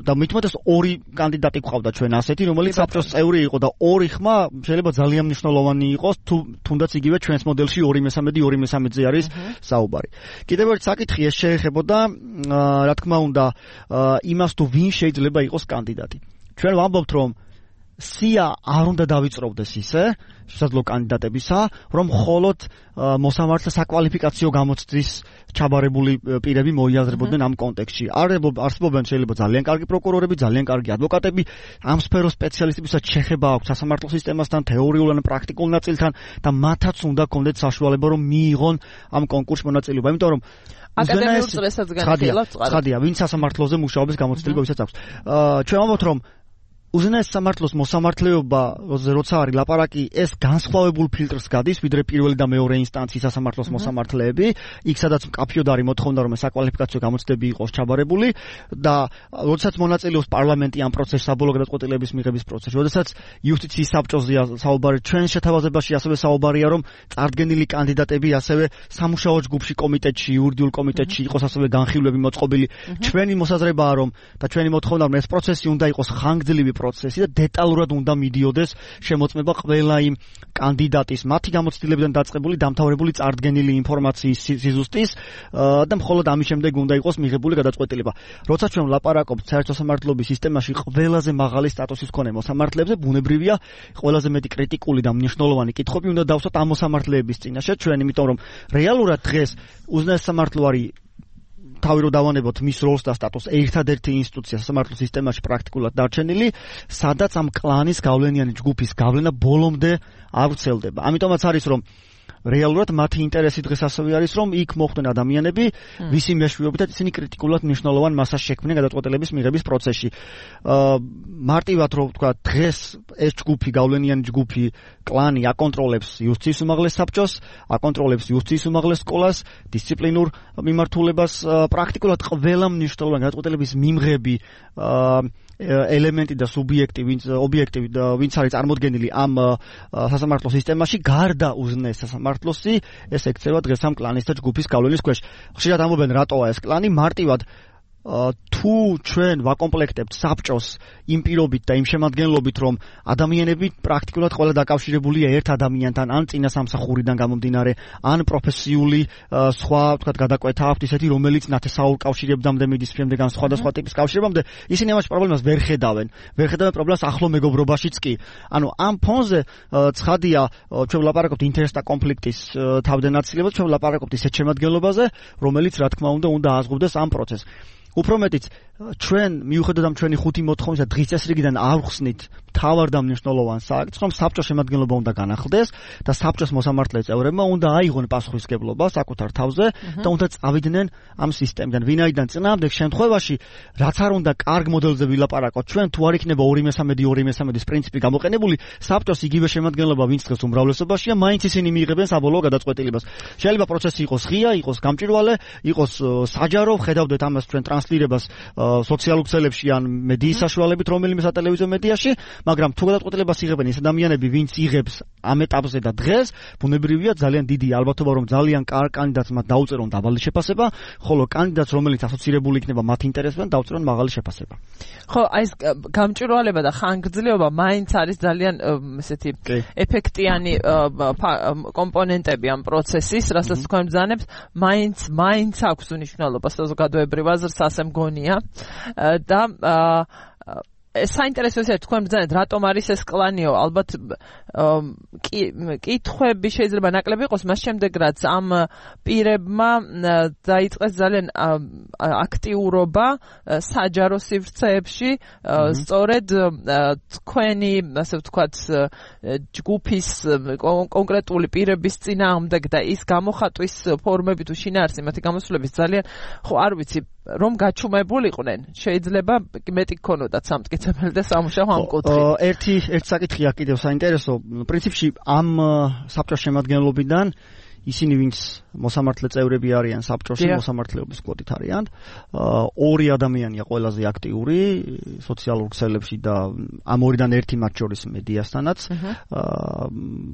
და მithumetes ორი კანდიდატი გყავდა ჩვენ ასეთი, რომელიც საბჭოს წევრი იყო და ორი ხმა შეიძლება ძალიან მნიშვნელოვანი იყოს, თუნდაც იგივე ჩვენს მოდელში 2/3-ზე არის საუბარი. კიდევ ერთი საკითხი ეს შეეხებოდა, რა თქმა უნდა, იმას თუ ვინ შეიძლება იყოს კანდიდატი. ჩვენ ვამბობთ, რომ სია არ უნდა დავიწროვდეს ისე შესაძლო კანდიდატებისა, რომ მხოლოდ მოსამართლე საკვალიფიკაციო გამოცდის ჩაბარებული პირები მოიაზრებოდნენ ამ კონტექსტში. არსებობენ შეიძლება ძალიან კარგი პროკურორები, ძალიან კარგი ადვოკატები, ამ სფეროს სპეციალისტებისაც შეხება აქვს სასამართლო სისტემასთან, თეორიულ ან პრაქტიკულ ნაწილთან და მათაც უნდა კონდეთ საშუალება, რომ მიიღონ ამ კონკურსში მონაწილეობა, იმიტომ რომ აკადემიურ წრესაც განიხილავთ წყარად. ხადია, ვინც სასამართლოზე მუშაობის გამოცდილება ვისაც აქვს. ჩვენ ვამბობთ, რომ უზენაეს სამართლოს მოსამართლეობა, როცა არის ლაპარაკი, ეს განსხვავებულ ფილტრს გადის, ვიდრე პირველი და მეორე ინსტანციის სასამართლოს მოსამართლეები, იქ სადაც მკაფიოდ არის მოთხოვნა, რომ საკვალიფიკაციო გამოცდები იყოს ჩაბარებული და როდესაც მონაწილეობს პარლამენტი ამ პროცესში, საბოლოო გადაწყვეტილების მიღების პროცესში, როდესაც იუსტიციის საბჭოზეა საუბარი, ჩვენ შეთავაზებაში ასევე საუბარია, რომ წარდგენილი კანდიდატები ასევე სამუშაო ჯგუფში, კომიტეტში, იურიდიულ კომიტეტში იყოს ასევე განხილვები მოწყობილი. ჩვენი მოსაზრებაა, რომ და ჩვენი მოთხოვნა, რომ ეს პროცესი უნდა იყოს ხანგრძლივი პროცესი და დეტალურად უნდა მიდიოდეს შემოწმება ყველა იმ კანდიდატის, მათი გამოცდილებიდან დაწყებული დამთავრებული წარდგენილი ინფორმაციის სიზუსტის და მხოლოდ ამის შემდეგ უნდა იყოს მიღებული გადაწყვეტილება. როცა ჩვენ ვლაპარაკობთ საერთო სამართლობის სისტემაში ყველაზე მაღალი სტატუსის მქონე მოსამართლეებზე, ბუნებრივია, ყველაზე მეტი კრიტიკული და მნიშვნელოვანი კითხვები უნდა დავსვათ ამ მოსამართლეების წინაშე ჩვენ, იმიტომ რომ რეალურად დღეს უზენაეს სამართლო არის თავი რო დავანებოთ მის როლს და სტატუსს ერთადერთი ინსტიტუცია სამართლო სისტემაში პრაქტიკულად დარჩენილი, სადაც ამ კლანის გავლენიანი ჯგუფის გავლენა ბოლომდე არ ვრცელდება. ამიტომაც არის, რომ რეალურად მათი ინტერესი დღეს ასევე არის, რომ იქ მოხვდნენ ადამიანები, ვისი მეშვეობითაც ისინი კრიტიკულად მნიშვნელოვან მასას შექმნენ გადაწყვეტილების მიღების პროცესში. მარტივად რო ვთქვა, დღეს ეს ჯგუფი, გავლენიანი ჯგუფი, კლანი აკონტროლებს იუსტიციის უმაღლეს საბჭოს, აკონტროლებს იუსტიციის უმაღლეს სკოლას, დისციპლინურ მიმართულებას, პრაქტიკულად ყველა მნიშვნელოვანი გადაწყვეტილების მიმღები ელემენტი და სუბიექტი, ვინც არის წარმოდგენილი ამ სასამართლო სისტემაში, გარდა უზნეს სასამართლოსი, ეს ექცევა დღეს ამ კლანის და ჯგუფის გავლენის ქვეშ. ხშირად ამბობენ, რატოა ეს კლანი, მარტივად თუ ჩვენ ვაკომპლექტებთ საბჭოს იმ პირობით და იმ შემადგენლობით, რომ ადამიანები პრაქტიკულად ყველა დაკავშირებულია ერთ ადამიანთან, ან წინა სამსახურიდან გამომდინარე, ან პროფესიული სხვა, ვთქვათ, გადაკვეთა აქვთ ისეთი, რომელიც ნათესაურ კავშირებამდე მიდის, შემდეგ ან სხვადასხვა ტიპის კავშირებამდე, ისინი ამაში პრობლემას ვერ ხედავენ პრობლემას ახლო მეგობრობაშიც კი. ანუ ამ ფონზე ცხადია, ჩვენ ვლაპარაკობთ ინტერესთა კონფლიქტის თავდანაწილებაზე, ჩვენ ვლაპარაკობთ ისეთ შემადგენლობაზე, რომელიც რა თქმა უნდა ააზღობდეს ამ პროცესს. უფრო მეტიც ჩვენ მიუხედავად ჩვენი 5 მოთხოვნისა დღის წესრიგიდან არ ხსნით თავარ და მნიშვნელოვან საქმეს, რომ საბჭოს შემადგენლობა უნდა განახლდეს და საბჭოს მოსამართლე წევრებმა უნდა აიღონ პასუხისმგებლობა საკუთარ თავზე და უნდა წავიდნენ ამ სისტემიდან. ვინაიდან წინააღმდეგ შემთხვევაში, რაც არ უნდა კარგ მოდელზე ვილაპარაკოთ, ჩვენ თუ არ იქნება 2/3 პრინციპი გამოყენებული, საბჭოს იგივე შემადგენლობა, ვინც დღეს უმრავლესობაშია, მაინც ისინი მიიღებენ საბოლოო გადაწყვეტილებას. შეიძლება პროცესი იყოს ღია, იყოს გამჭვირვალე, იყოს საჯარო, ხედავდეთ ამას ჩვენ ტრანსლირებას სოციალურ ქსელებში ან მედიის საშუალებით რომელიმე სატელევიზიო მედიაში, მაგრამ თუ გადაწყვეტილებას იღებენ ის ადამიანები, ვინც იღებს ამ ეტაპზე და დღეს, ბუნებრივია ძალიან დიდი ალბათობა, რომ ძალიან კარგ კანდიდატს მათ დაუწერონ დაბალი შეფასება, ხოლო კანდიდატს, რომელიც ასოცირებული იქნება მათ ინტერესთან, დაუწერონ მაღალი შეფასება. ხო, აი ეს გამჭვირვალება და ხანგრძლივობა მაინც არის ძალიან ესეთი ეფექტიანი კომპონენტები ამ პროცესის, რასაც თქვენ ბრძანებთ, მაინც აქვს მნიშვნელობა საზოგადოებრივ აზრს, ასე მგონია. და საინტერესო ისე თქვენ ბრძანეთ, რატომ არის ეს კლანიო? ალბათ კითხვები შეიძლება ნაკლები იყოს მას შემდეგ, რაც ამ პირებმა დაიწყეს ძალიან აქტიურობა საჯარო სივრცეებში, სწორედ თქვენი, ასე ვთქვათ, ჯგუფის კონკრეტული პირების წინააღმდეგ და ის გამოხატვის ფორმები თუ შინაარსი მათი გამოსვლების ძალიან, ხო, არ ვიცი, რომ გაჩუმებულიყვნენ, შეიძლება მეტი გქონოდათ სამტკიცებელი და სამუშაო ამ კუთხით. ერთი საკითხია კიდევ საინტერესო. პრინციპში ამ საბჭოს შემადგენლობიდან ისინი, ვინც მოსამართლე წევრები არიან საბჭოში, მოსამართლეობის კვოტით არიან, ორი ადამიანია ყველაზე აქტიური სოციალურ ქსელებში და ამ ორიდან ერთი მათ შორის მედიასთანაც.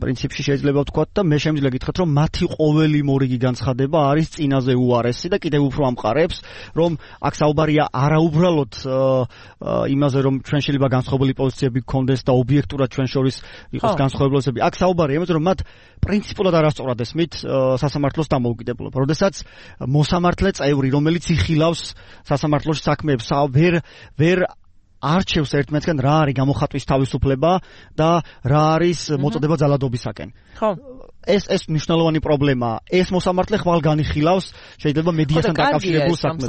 პრინციპში შეიძლება ვთქვათ და მე შემიძლია გითხრათ, რომ მათი ყოველი მორიგი განცხადება არის წინაზე უარესი და კიდევ უფრო ამყარებს, რომ აქ საუბარია არაუბრალოდ იმაზე, რომ ჩვენ შეიძლება განსხვავებული პოზიციები გქონდეს და ობიექტურად ჩვენ შორის იყოს განსხვავებულობები. აქ საუბარია იმაზე, რომ მათ პრინციპულად არასწორად ესმით სასამართლოს დამოუკიდებლობა. როდესაც მოსამართლე წევრი, რომელიც იხილავს სასამართლოში საქმეებს, ვერ არჩევს ერთმანეთსგან რა არის გამოხატვის თავისუფლება და რა არის მოწოდება ძალადობისაკენ. ხო. ეს მნიშვნელოვანი პრობლემაა. ეს მოსამართლე ხვალ განიხილავს შეიძლება მედიასთან დაკავშირებულ საქმეს.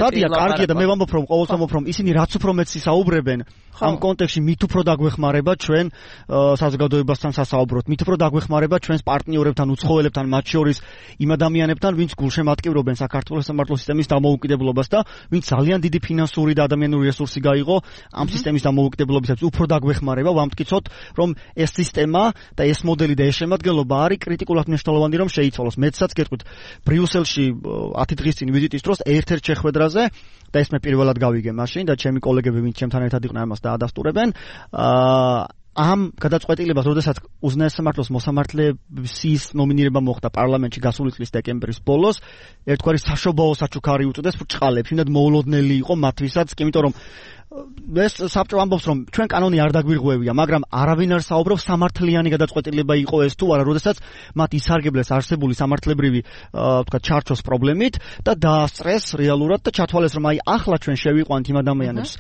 სადია კარგია და მე ვამბობ, რომ ყოველწამობ, რომ ისინი რაც უფრო მეტ ისაუბრებენ ამ კონტექსტში, მით უფრო დაგვეხმარება ჩვენ საზოგადოებასთან სასაუბროთ, მით უფრო დაგვეხმარება ჩვენს პარტნიორებთან, უცხოელებთან, მათ შორის იმ ადამიანებთან, ვინც გულშემატკივრობენ საქართველოს სასამართლო სისტემის დამოუკიდებლობას და ვინც ძალიან დიდი ფინანსური და ადამიანური რესურსი გაიღო ამ სისტემის დამოუკიდებლობისათვის, უფრო დაგვეხმარება, ვამტკიცოთ, რომ ეს სისტემა და ეს მოდელი და ეს შემადგენლობა არის კრიტიკულად მნიშვნელოვანი, რომ შეიცვალოს. მეცაც გეტყვით, ბრიუსელში 10 დღის წინ ვიზიტის დროს ერთ-ერთ შეხვედრაზე და ეს მე პირველად გავიგე მაშინ და ჩემი კოლეგები, ვინც ჩემთან ერთად იყვნენ, ამას დაადასტურებენ. ამ გადაწყვეტილებას, როდესაც უზენაეს სამართლოს მოსამართლეების ნომინირება მოხდა პარლამენტში გასული წლის დეკემბრის ბოლოს, ერთგვარი საშობაო საჩუქარი უწოდეს ბრჭყალებს, იმდენ მოულოდნელი იყო მათთვისაც, იმიტომ რომ ეს საბჭო ამბობს, რომ ჩვენ კანონი არ დაგვირღვევია, მაგრამ არავინ არ საუბრობს სამართლიანი გადაწყვეტილება იყო ეს თუ არა, როდესაც მათ ისარგებლეს არსებული სამართლებრივი ვთქვათ ჩარჩოს პრობლემით და დაასწრეს რეალურად და ჩათვალეს, რომ აი ახლა ჩვენ შევიყვანთ იმ ადამიანებს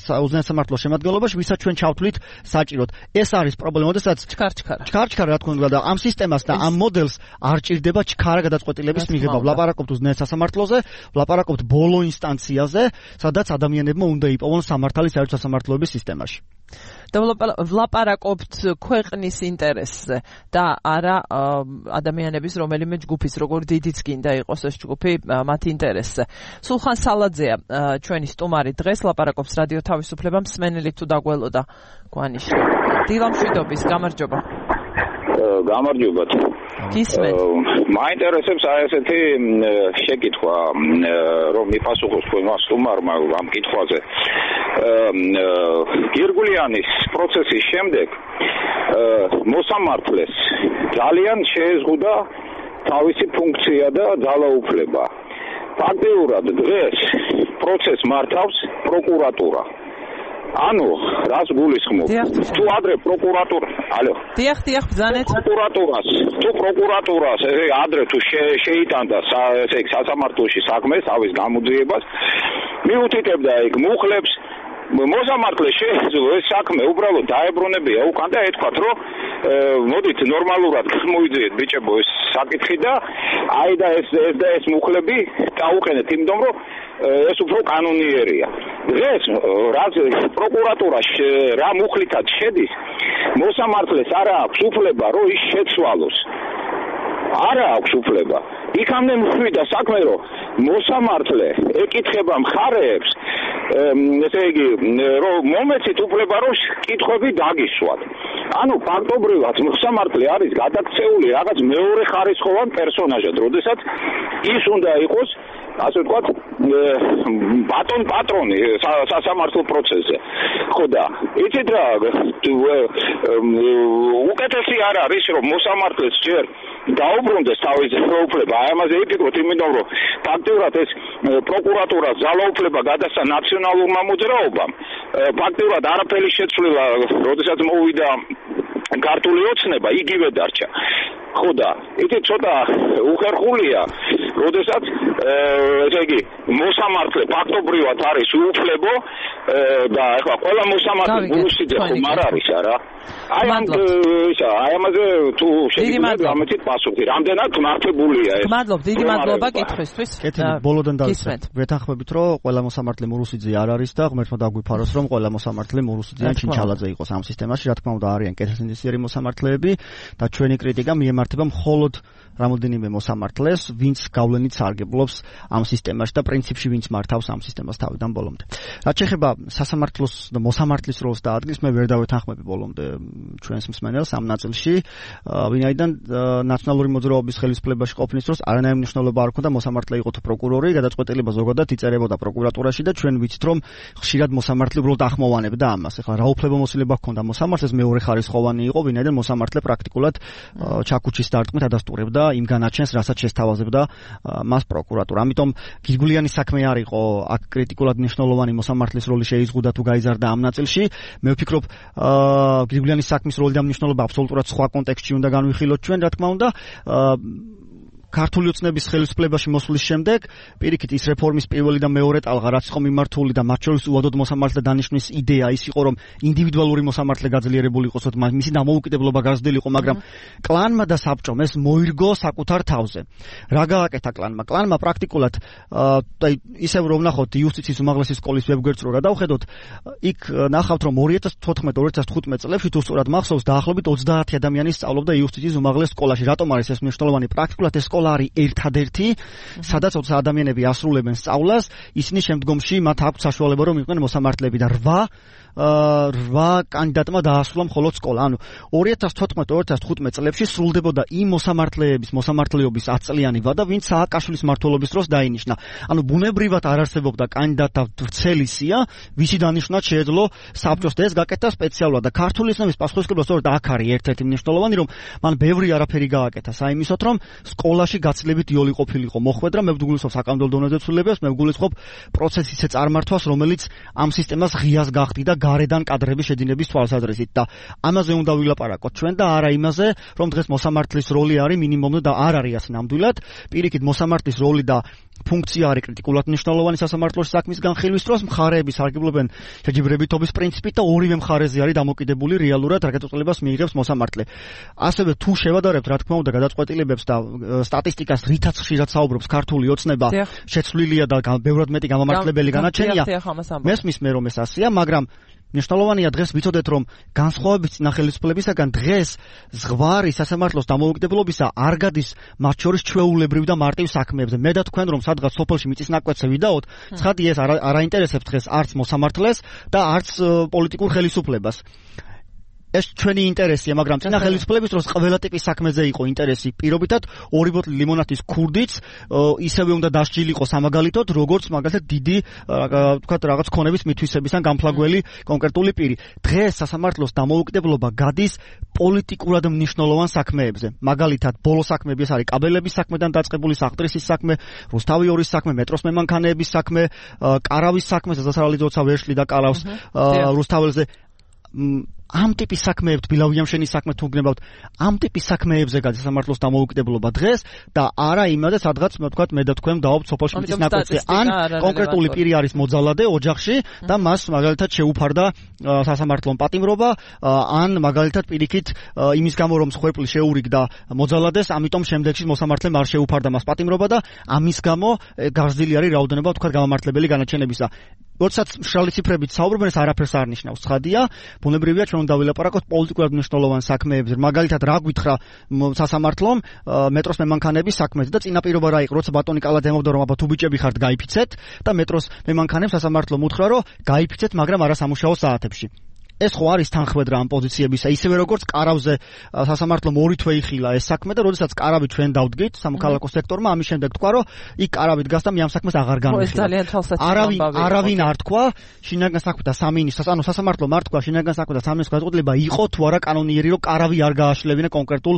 უზენაეს სამართლოს შემადგენლობაში, ვისაც ჩვენ ჩავთვლით საჭიროდ. ეს არის პრობლემა, როდესაც ჩქარ-ჩქარა რა თქმა უნდა და ამ სისტემას და ამ მოდელს არ ჭირდება ჩქარა გადაწყვეტილების მიღება. ვლაპარაკობთ უზენაეს სასამართლოზე, ვლაპარაკობთ ბოლო ინსტანციაზე, სადაც ადამიანებმა უნდა იპოვონ სამართალი საერთო სასამართლოების სისტემაში. და ვლაპარაკობთ ქვეყნის ინტერესზე და არა ადამიანების რომელიმე ჯგუფის, როგორ დიდიც გინდა იყოს ეს ჯგუფი, მათ ინტერესზე. სულხან სალაძეა ჩვენი სტუმარი დღეს, ლაპარაკობს რადიო თავისუფლება, მსმენელი თუ დაგველოდა გვანიში. დილამშვიდობის, გამარჯობა. გამარჯობათ. მაინტერესებს აი ესეთი შეკითხვა, რომ მიპასუხოს თქვენმა სტუმარმა ამ კითხვაზე. გირგულიანის პროცესის შემდეგ მოსამართლეს ძალიან შეეზღუდა თავისი ფუნქცია და ძალაუფლება. ფაქტიურად დღეს პროცესს მართავს პროკურატურა. ანუ რას გულისხმობ? თუ ადრე პროკურატურა, ალო. დიახ, ბრძანეთ. თუ პროკურატურას ადრე თუ შეიტანდა ესე იგი სასამართლოში საქმეს, თავის გამოძიებას, მიუთითებდა იქ მუხლებს, მოსამართლე შეეძლო ეს საქმე უბრალოდ დაებრუნებია უკან და ეთქვათ, რომ მოდით ნორმალურად მოიძიეთ ბიჭებო ეს საკითხი და აი და ეს მუხლები დაუყენეთ იმიტომ, რომ ეს უფრო კანონიერია. დღეს რაც პროკურატურა რა მუხლითაც შედის, მოსამართლეს არ აქვს უფლება, რომ ის შეცვალოს. არ აქვს უფლება. იქამდე მივიდა საქმე, რომ მოსამართლე ეკითხება მხარეებს, ესე იგი, რომ მომეცით უფლება, რომ კითხვები დაგისვათ. ანუ ფაქტობრივად მოსამართლე არის გადაქცეული რაღაც მეორე ხარისხოვან პერსონაჟად, როდესაც ის უნდა იყოს ასე ვთქვათ, ბატონ პატრონი სასამართლო პროცესზე. ხო და იცით რა, უკეთესი არ არის, რომ მოსამართლეს ჯერ დაუბრუნდეს თავის ძალაუფლება. აი ამაზე იფიქროთ, იმიტომ რომ ფაქტიურად ეს პროკურატურას ძალაუფლება გადასცა ნაციონალურმა მოძრაობამ. ფაქტიურად არაფერი შეცვლილა, როდესაც მოვიდა ქართული ოცნება, იგივე დარჩა. ხო და იცით ცოტა უხერხულია, როდესაც ესე იგი მოსამართლე ფაქტობრივად არის უუფლებო და ეხლა ყველა მოსამართლე გულუსიძე ხომ არ არის არა? აი ამაზე თუ შეგიძლიათ გამეცით პასუხი, რამდენად მართებულია ეს? მადლობ, დიდი მადლობა კითხვისთვის. ბოლოდან დავიწყეთ. ვეთანხმებით, რომ ყველა მოსამართლე მურუსიძე არ არის და ღმერთმა დაგვიფაროს, რომ ყველა მოსამართლე მურუსიძე ან ჩინჩალაძე იყოს ამ სისტემაში. რა თქმა უნდა, არიან კეთილსინდისიერი მოსამართლეები და ჩვენი კრიტიკა მიემართება მხოლოდ რამოდენიმე მოსამართლეს, ვინც გავლენით სარგებლობს ამ სისტემაში და პრინციპში ვინც მართავს ამ სისტემას თავიდან ბოლომდე. რაც შეეხება სასამართლოს და მოსამართლის როლს და ადგილს, მე ვერ დავეთანხმები ბოლომდე ჩვენს მსმენელს ამ ნაწილში, ვინაიდან ნაციონალური მოძრაობის ხელისუფლებაში ყოფნის დროს არანაირი მნიშვნელობა არ ჰქონდა მოსამართლე იყო თუ პროკურორი, გადაწყვეტილება ზოგადად იწერებოდა პროკურატურაში და ჩვენ ვიცით, რომ ხშირად მოსამართლე უბრალოდ ახმოვანებდა ამას. ეხლა რა უფლებამოსილება ჰქონდა მოსამართლეს, მეორე ხარისხოვანი იყო, ვინაიდან მოსამართლე პრაქტიკულად ჩაქუჩის დარტყმით ადასტურებდა იმ განაჩენს, რასაც შესთავაზებდა მას პროკურატურა. ამიტომ გირგულიანის საქმე არ იყო აქ კრიტიკულად მნიშვნელოვანი მოსამართლის როლი შეიზღუდა თუ გაიზარდა ამ ნაწილში. მე ვფიქრობ, გირგულიანის საქმის როლი და მნიშვნელობა აბსოლუტურად სხვა კონტექსტში უნდა განვიხილოთ ჩვენ, რა თქმა უნდა. ქართული ოცნების ხელისუფლებაში მოსვლის შემდეგ პირიქით ის რეფორმის პირველი და მეორე ტალღა რაც იყო მიმართული და მათ შორის უადოდ მოსამართლე დანიშვნის იდეა ის იყო რომ ინდივიდუალური მოსამართლე გაძლიერებული იყოს, მისი დამოუკიდებლობა გაზრდილიყო, მაგრამ კლანმა და საბჭომ ეს მოირგო საკუთარ თავზე. რა გააკეთა კლანმა? კლანმა პრაქტიკულად ისევ რომ ნახოთ იუსტიციის უმაღლესი სკოლის ვებგვერდს რო გადავხედოთ, იქ ნახავთ რომ 2014-2015 წლებში თუ სწორად მახსოვს დაახლოებით 30 ადამიანი სწავლობდა იუსტიციის უმაღლეს სკოლაში. რატომ არის ეს მნიშვნელოვანი? პრაქტიკულად ეს სკოლა არის ერთადერთი, სადაც 20 ადამიანები ასრულებენ სწავლას, ისინი შემდგომში მათ აქვს საშუალება რომ იყვნენ მოსამართლეები და 8 კანდიდატმა დაასრულა მხოლოდ სკოლა. ანუ 2014-2015 წლებში სრულდებოდა იმ მოსამართლეების მოსამართლეობის 10 წლიანი ვადა, ვინც სააკაშვილის მმართველობის დროს დაინიშნა. ანუ ბუნებრივად არ არსებობდა კანდიდატთა ვრცელი სია, ვისი დანიშვნა შეეძლო საბჭოს და ეს გაკეთა სპეციალურად და ქართული ოცნების პასუხისმგებლობა სწორედ აქ არის ერთ-ერთი მნიშვნელოვანი, რომ მან ბევრი არაფერი გააკეთა საიმისოთ, რომ სკოლაში გაცილებით იოლი ყოფილიყო მოხვედრა, მე ვგულისხმობ საკანონმდებლო დონეზე ცვლილებას, მე ვგულისხმობ პროცესის ისე წარმართვას, რომელიც ამ სისტემას ღიას გახდიდა გარედან კადრების შედინების თვალსაზრისით და ამაზე უნდა ვილაპარაკოთ ჩვენ და არა იმაზე, რომ დღეს მოსამართლის როლი არის მინიმუმი და არ არის ასე ნამდვილად. პირიქით მოსამართლის როლი და ფუნქცია არის კრიტიკულად მნიშვნელოვანი სასამართლოს საქმის განხილვის დროს, მხარეები სარგებლობენ შეჯიბრებითობის პრინციპით და ორივე მხარეზე არის დამოკიდებული რეალურად რა გადაწყვეტილებას მიიღებს მოსამართლე. ასევე თუ შევადარებთ რა თქმა უნდა გადაწყვეტილებებს და სტატისტიკას, რითაც ხშირად საუბრობს ქართული ოცნება, შეცვლილია და ბევრად მეტი გამამართლებელი განაჩენია. მესმის მე რომ ეს ასეა, მაგრამ მნიშვნელოვანია დღეს ვიცოდეთ რომ განსხვავებით წინა ხელისუფლებისაგან დღეს ზღვარი სასამართლოს დამოუკიდებლობისა არ გადის მათ შორის ჩვეულებრივ და მარტივ საქმეებზე. მე და თქვენ რომ სადღაც სოფელში მიწის ნაკვეთზე ვიდაოთ, ცხადი ეს არ აინტერესებს დღეს არც მოსამართლეს და არც პოლიტიკურ ხელისუფლებას. ეს ჩვენი ინტერესია, მაგრამ წინა ხელისუფლების დროს ყველა ტიპის საქმეზე იყო ინტერესი. პირობითად 2 ბოთლი ლიმონადის ქურდიც ისევე უნდა დასჯილიყო სამაგალითოდ, როგორც მაგალითად დიდი ვთქვათ რაღაც ქონების მითვისების ან გამფლაგველი კონკრეტული პირი. დღეს სასამართლოს დამოუკიდებლობა გადის პოლიტიკურად მნიშვნელოვან საქმეებზე. მაგალითად, ბოლო საქმეები ეს არის კაბელების საქმედან დაწყებული საყდრისის საქმე, რუსთავი 2-ის საქმე, მეტროს მემანქანეების საქმე, კარავის საქმე, სასარალიძოცა ვერშლი და კალავს რუსთაველზე. ამ ტიპის საქმეებს ბილავიამშენის საქმე თუ გნებავთ ამ ტიპის საქმეებზე გადის სასამართლოს დამოუკიდებლობა დღეს და არა იმაზე სადღაც ვთქვათ მე და თქვენ დავობთ სოფელ შმიტის ნაკვეთზე ან კონკრეტული პირი არის მოძალადე ოჯახში და მას მაგალითად შეუფარდა სასამართლომ პატიმრობა ან მაგალითად პირიქით იმის გამო რომ მსხვერპლი შეურიგდა მოძალადეს ამიტომ შემდეგში მოსამართლემ არ შეუფარდა მას პატიმრობა და ამის გამო გაზრდილი არის რაოდენობა ვთქვათ გამამართლებელი განაჩენებისა როდესაც მშრალი ციფრებით საუბრობენ, ეს არაფერს არ ნიშნავს. ცხადია, ბუნებრივია ჩვენ უნდა ვილაპარაკოთ პოლიტიკურად მნიშვნელოვან საქმეებზე. მაგალითად, რა გვითხრა სასამართლომ მეტროს მემანქანების საქმეზე და წინაპირობა რა იყო, როცა ბატონი კალაძე ემობდა რომ აბა თუ ბიჭები ხართ, გაიფიცეთ და მეტროს მემანქანებს სასამართლომ უთხრა რომ გაიფიცეთ, მაგრამ არა სამუშაო საათებში. ეს ხო არის თანხმედრა ამ პოზიციებისა, ისევე როგორც კარავზე სასამართლომ 2 თვე იხილა ეს საქმე და როდესაც კარავი ჩვენ დავდგით სამოქალაქო სექტორმა, ამის შემდეგ თქვა რომ იქ კარავით გასდა მე ამ საქმეს აღარ განვიხილე. არავინ არ თქვა, შინაგან საქმეთა სამინისტროს, ანუ სასამართლომ არ თქვა შინაგან საქმეთა სამინისტროს გადაწყვეტილება იყო თუ არა კანონიერი რომ კარავი არ გააშლებინა კონკრეტულ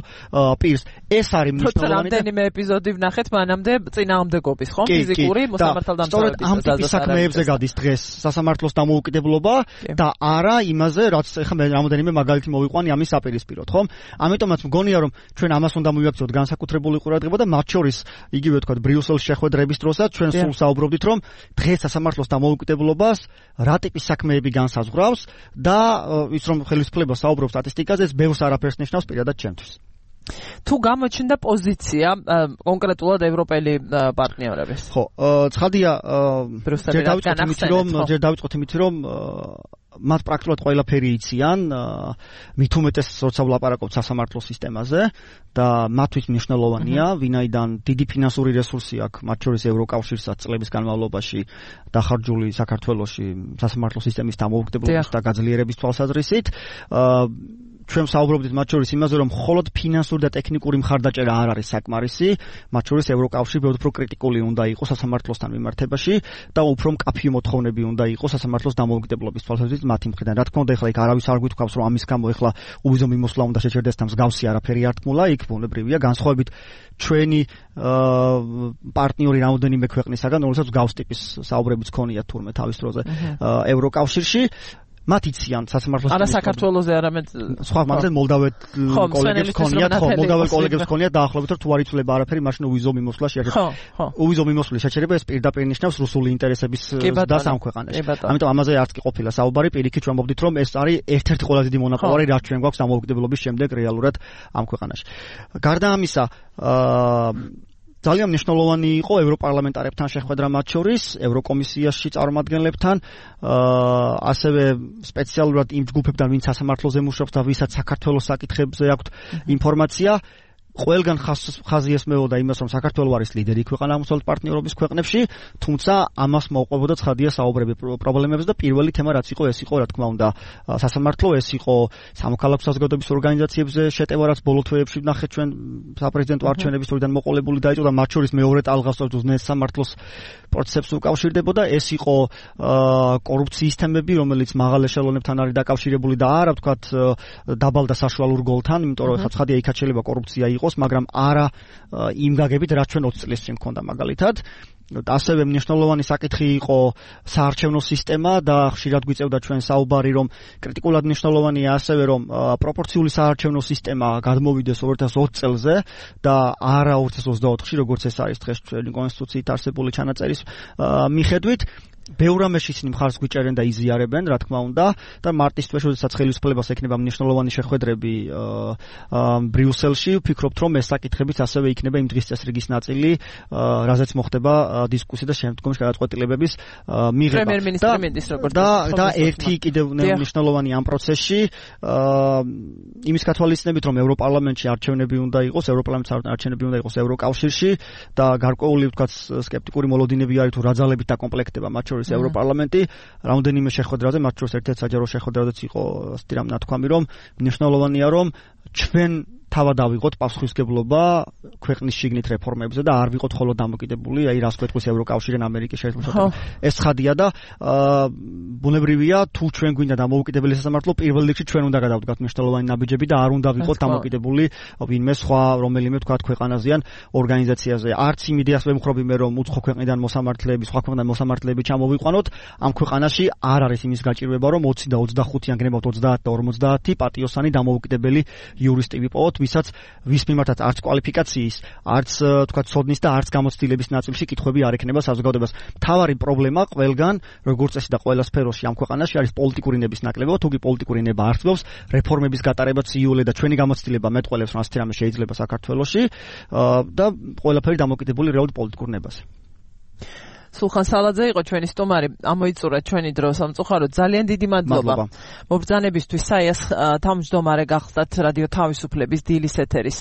პირს. ეს არის მნიშვნელოვანი. რამდენიმე ეპიზოდი ვნახეთ მანამდე წინააღმდეგობის, ხო? ფიზიკური მოსამართლე ამ ტიპის საქმეებზე გადის დღეს სასამართლოს დამოუკიდებლობა და არა იმას რაც ეხლა მე რამოდენიმე მაგალითი მოვიყვანი ამის საპირისპიროდ, ხო? ამიტომაც მგონია რომ ჩვენ ამას უნდა მივაქციოთ განსაკუთრებული ყურადღება და მათ შორის იგივე თქვა ბრიუსელის შეხვედრების დროსაც ჩვენ სულ საუბრობდით რომ დღეს სასამართლოს დამოუკიდებლობას რა ტიპის საქმეები განსაზღვრავს და ის რომ ხელისუფლება საუბრობს სტატისტიკაზე ეს ბევრს არაფერს ნიშნავს პირადად ჩემთვის. თუ გამოჩნდა პოზიცია კონკრეტულად ევროპელი პარტნიორების. ხო, ცხადია ჯერ დავიწყოთ იმით რომ მათ პრაქტიკულად ყველაფერი იციან, მით უმეტეს როცა ვლაპარაკობთ სასამართლო სისტემაზე და მათთვის მნიშვნელოვანია, ვინაიდან დიდი ფინანსური რესურსი აქვს, მათ შორის ევროკავშირსაც წლების განმავლობაში დახარჯული საქართველოში სასამართლო სისტემის დამოუკიდებლობის და გაძლიერების თვალსაზრისით. ჩვენ საუბრობდით მათ შორის იმაზე, რომ მხოლოდ ფინანსური და ტექნიკური მხარდაჭერა არ არის საკმარისი, მათ შორის ევროკავშირი უფრო კრიტიკული უნდა იყოს სასამართლოსთან მიმართებაში და უფრო მკაფიო მოთხოვნები უნდა იყოს სასამართლოს დამოუკიდებლობის თვალსაზრისით მათი მხრიდან. რა თქმა უნდა, ეხლა იქ არავის არ გვითქვავს, რომ ამის გამო ეხლა უვიზო მიმოსვლა უნდა შეჩერდეს და მსგავსი არაფერი არ თქმულა, იქ ბუნებრივია განსხვავებით ჩვენი პარტნიორი რამოდენიმე ქვეყნისაგან, რომელსაც მსგავს ტიპის საუბრებიც ქონიათ თურმე თავის დროზე ევროკავშირში. მათ იციან სასამართლოს არა საქართველოზე არამედ სხვა მაგალითად მოლდაველ კოლეგებს ქონიათ, ხო, მოლდაველ კოლეგებს ქონიათ დაახლოებით რომ თუ არ იცვლება არაფერი, მაშინ უვიზო მიმოსვლა შეჩერდება. უვიზო მიმოსვლის შეჩერება ეს პირდაპირ ნიშნავს რუსული ინტერესების დასს ამ ქვეყანაში. ამიტომ ამაზე არც კი ყოფილა საუბარი, პირიქით ჩვენ ვამბობდით რომ ეს არის ერთ-ერთი ყველაზე დიდი მონაპოვარი, რაც ჩვენ გვაქვს დამოუკიდებლობის შემდეგ რეალურად ამ ქვეყანაში. გარდა ამისა, ძალიან მნიშვნელოვანი იყო ევროპარლამენტარებთან შეხვედრა მათ შორის, ევროკომისიაში წარმომადგენლებთან, ასევე სპეციალურად იმ ჯგუფებთან, ვინც სასამართლოზე მუშაობს და ვისაც საქართველოს საკითხებზე აქვთ ინფორმაცია. ყველგან ხაზი ესმეოდა იმას, რომ საქართველო არის ლიდერი ქვეყანა აღმოსავლეთ პარტნიორობის ქვეყნებში, თუმცა ამას მოუყვებოდა ცხადია საუბრები პრობლემებზე და პირველი თემა რაც იყო, ეს იყო რა თქმა უნდა სასამართლო, ეს იყო სამოქალაქო საზოგადოების ორგანიზაციებზე შეტევა, რაც ბოლო თვეებში ვნახეთ ჩვენ საპრეზიდენტო არჩევნების დროიდან მოყოლებული დაიწყო და მათ შორის მეორე ტალღას უძნეს სამართლოს პროცესებს უკავშირდებოდა, ეს იყო კორუფციის თემები, რომელიც მაღალ ეშელონებთან არის დაკავშირებული და არა ვთქვათ დაბალ და საშუალურ გოლთან, იმიტომ რომ ხა ცხადია იქ შეიძლება კორუფცია იყოს, მაგრამ არა იმ გაგებით, რაც ჩვენ 20 წლის წინ მქონდა მაგალითად. ასევე მნიშვნელოვანი საკითხი იყო საარჩევნო სისტემა და ხშირად გვიწევდა ჩვენ საუბარი, რომ კრიტიკულად მნიშვნელოვანია ასევე, რომ პროპორციული საარჩევნო სისტემა გადმოვიდეს 2020 წელზე და არა 2024-ში, როგორც ეს არის დღეს ჩვენი კონსტიტუციით არსებული ჩანაწერის მიხედვით. ბევრ რამეში ისინი მხარს გვიჭერენ და იზიარებენ, რა თქმა უნდა, და მარტის თვეში, როდესაც ხელისუფლებას ექნება მნიშვნელოვანი შეხვედრები ბრიუსელში, ვფიქრობთ, რომ ეს საკითხებიც ასევე იქნება იმ დღის წესრიგის ნაწილი, რაზეც მოხდება დისკუსია და შემდგომში გადაწყვეტილებების მიღება. პრემიერ-მინისტრის როგორც და ერთი კიდევ მნიშვნელოვანი ამ პროცესში, იმის გათვალისწინებით, რომ ევროპარლამენტში არჩევნები უნდა იყოს, ევროპარლამენტის არჩევნები უნდა იყოს ევროკავშირში და გარკვეული, ვთქვათ, სკეპტიკური მოლოდინები არის თუ რა ძალებით დაკომპლექტდება მათ შორის შორის ევროპარლამენტი რამდენიმე შეხვედრაზე, მათ შორის ერთ-ერთ საჯარო შეხვედრაზეც იყო ასეთი რამ ნათქვამი, რომ მნიშვნელოვანია რომ ჩვენ თავად ავიღოთ პასუხისმგებლობა ქვეყნის შიგნით რეფორმებზე და არ ვიყოთ ხოლმე დამოკიდებული, აი რას გვეთქვის ევროკავშირიდან, ამერიკის შეერთებულ ეს ცხადია და ბუნებრივია თუ ჩვენ გვინდა დამოუკიდებელი სასამართლო, პირველ რიგში ჩვენ უნდა გადავდგათ მნიშვნელოვანი ნაბიჯები და არ უნდა ვიყოთ დამოკიდებული ვინმე სხვა რომელიმე თქვათ ქვეყანაზიან ორგანიზაციაზე. არც იმ იდეას ვემხრობი მე რომ უცხო ქვეყნიდან მოსამართლეები, სხვა ქვეყნიდან მოსამართლეები ჩამოვიყვანოთ, ამ ქვეყანაში არ არის იმის გაჭირვება რომ 20 და 25 ან გნებავთ 30 და 50 პატიოსანი დამოუკიდებელი იურისტი ვიპოვოთ, ვის მიმართაც არც კვალიფიკაციის, არც თქვა ცოდნის და არც გამოცდილების ნაწილში კითხვები არ ექნება საზოგადოებას. მთავარი პრობლემა ყველგან, როგორც წესი და ყველა სფეროში ამ ქვეყანაში არის პოლიტიკური ნების ნაკლებობა, თუ კი პოლიტიკური ნება არ ხდება, რეფორმების გატარებაც იოლე და ჩვენი გამოცდილება მეტყველებს, რომ ასეთი რამე შეიძლება საქართველოში და ყველაფერი დამოკიდებული რეალურ პოლიტიკურ ნებაზე. სულხან სალაძე იყო ჩვენი სტუმარი, ამოიწურა ჩვენი დრო სამწუხაროდ. ძალიან დიდი მადლობა. მობრძანებისთვის საიას თავმჯდომარე გახდათ რადიო თავისუფლების დილის ეთერის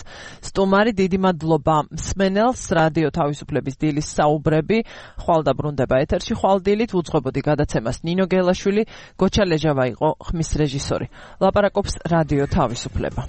სტუმარი. დიდი მადლობა მსმენელს. რადიო თავისუფლების დილის საუბრები ხვალ დაბრუნდება ეთერში. ხვალ დილით უძღვებოდი გადაცემას ნინო გელაშვილი, გოჩა ლეჟავა იყო ხმის რეჟისორი. ლაპარაკობს რადიო თავისუფლება.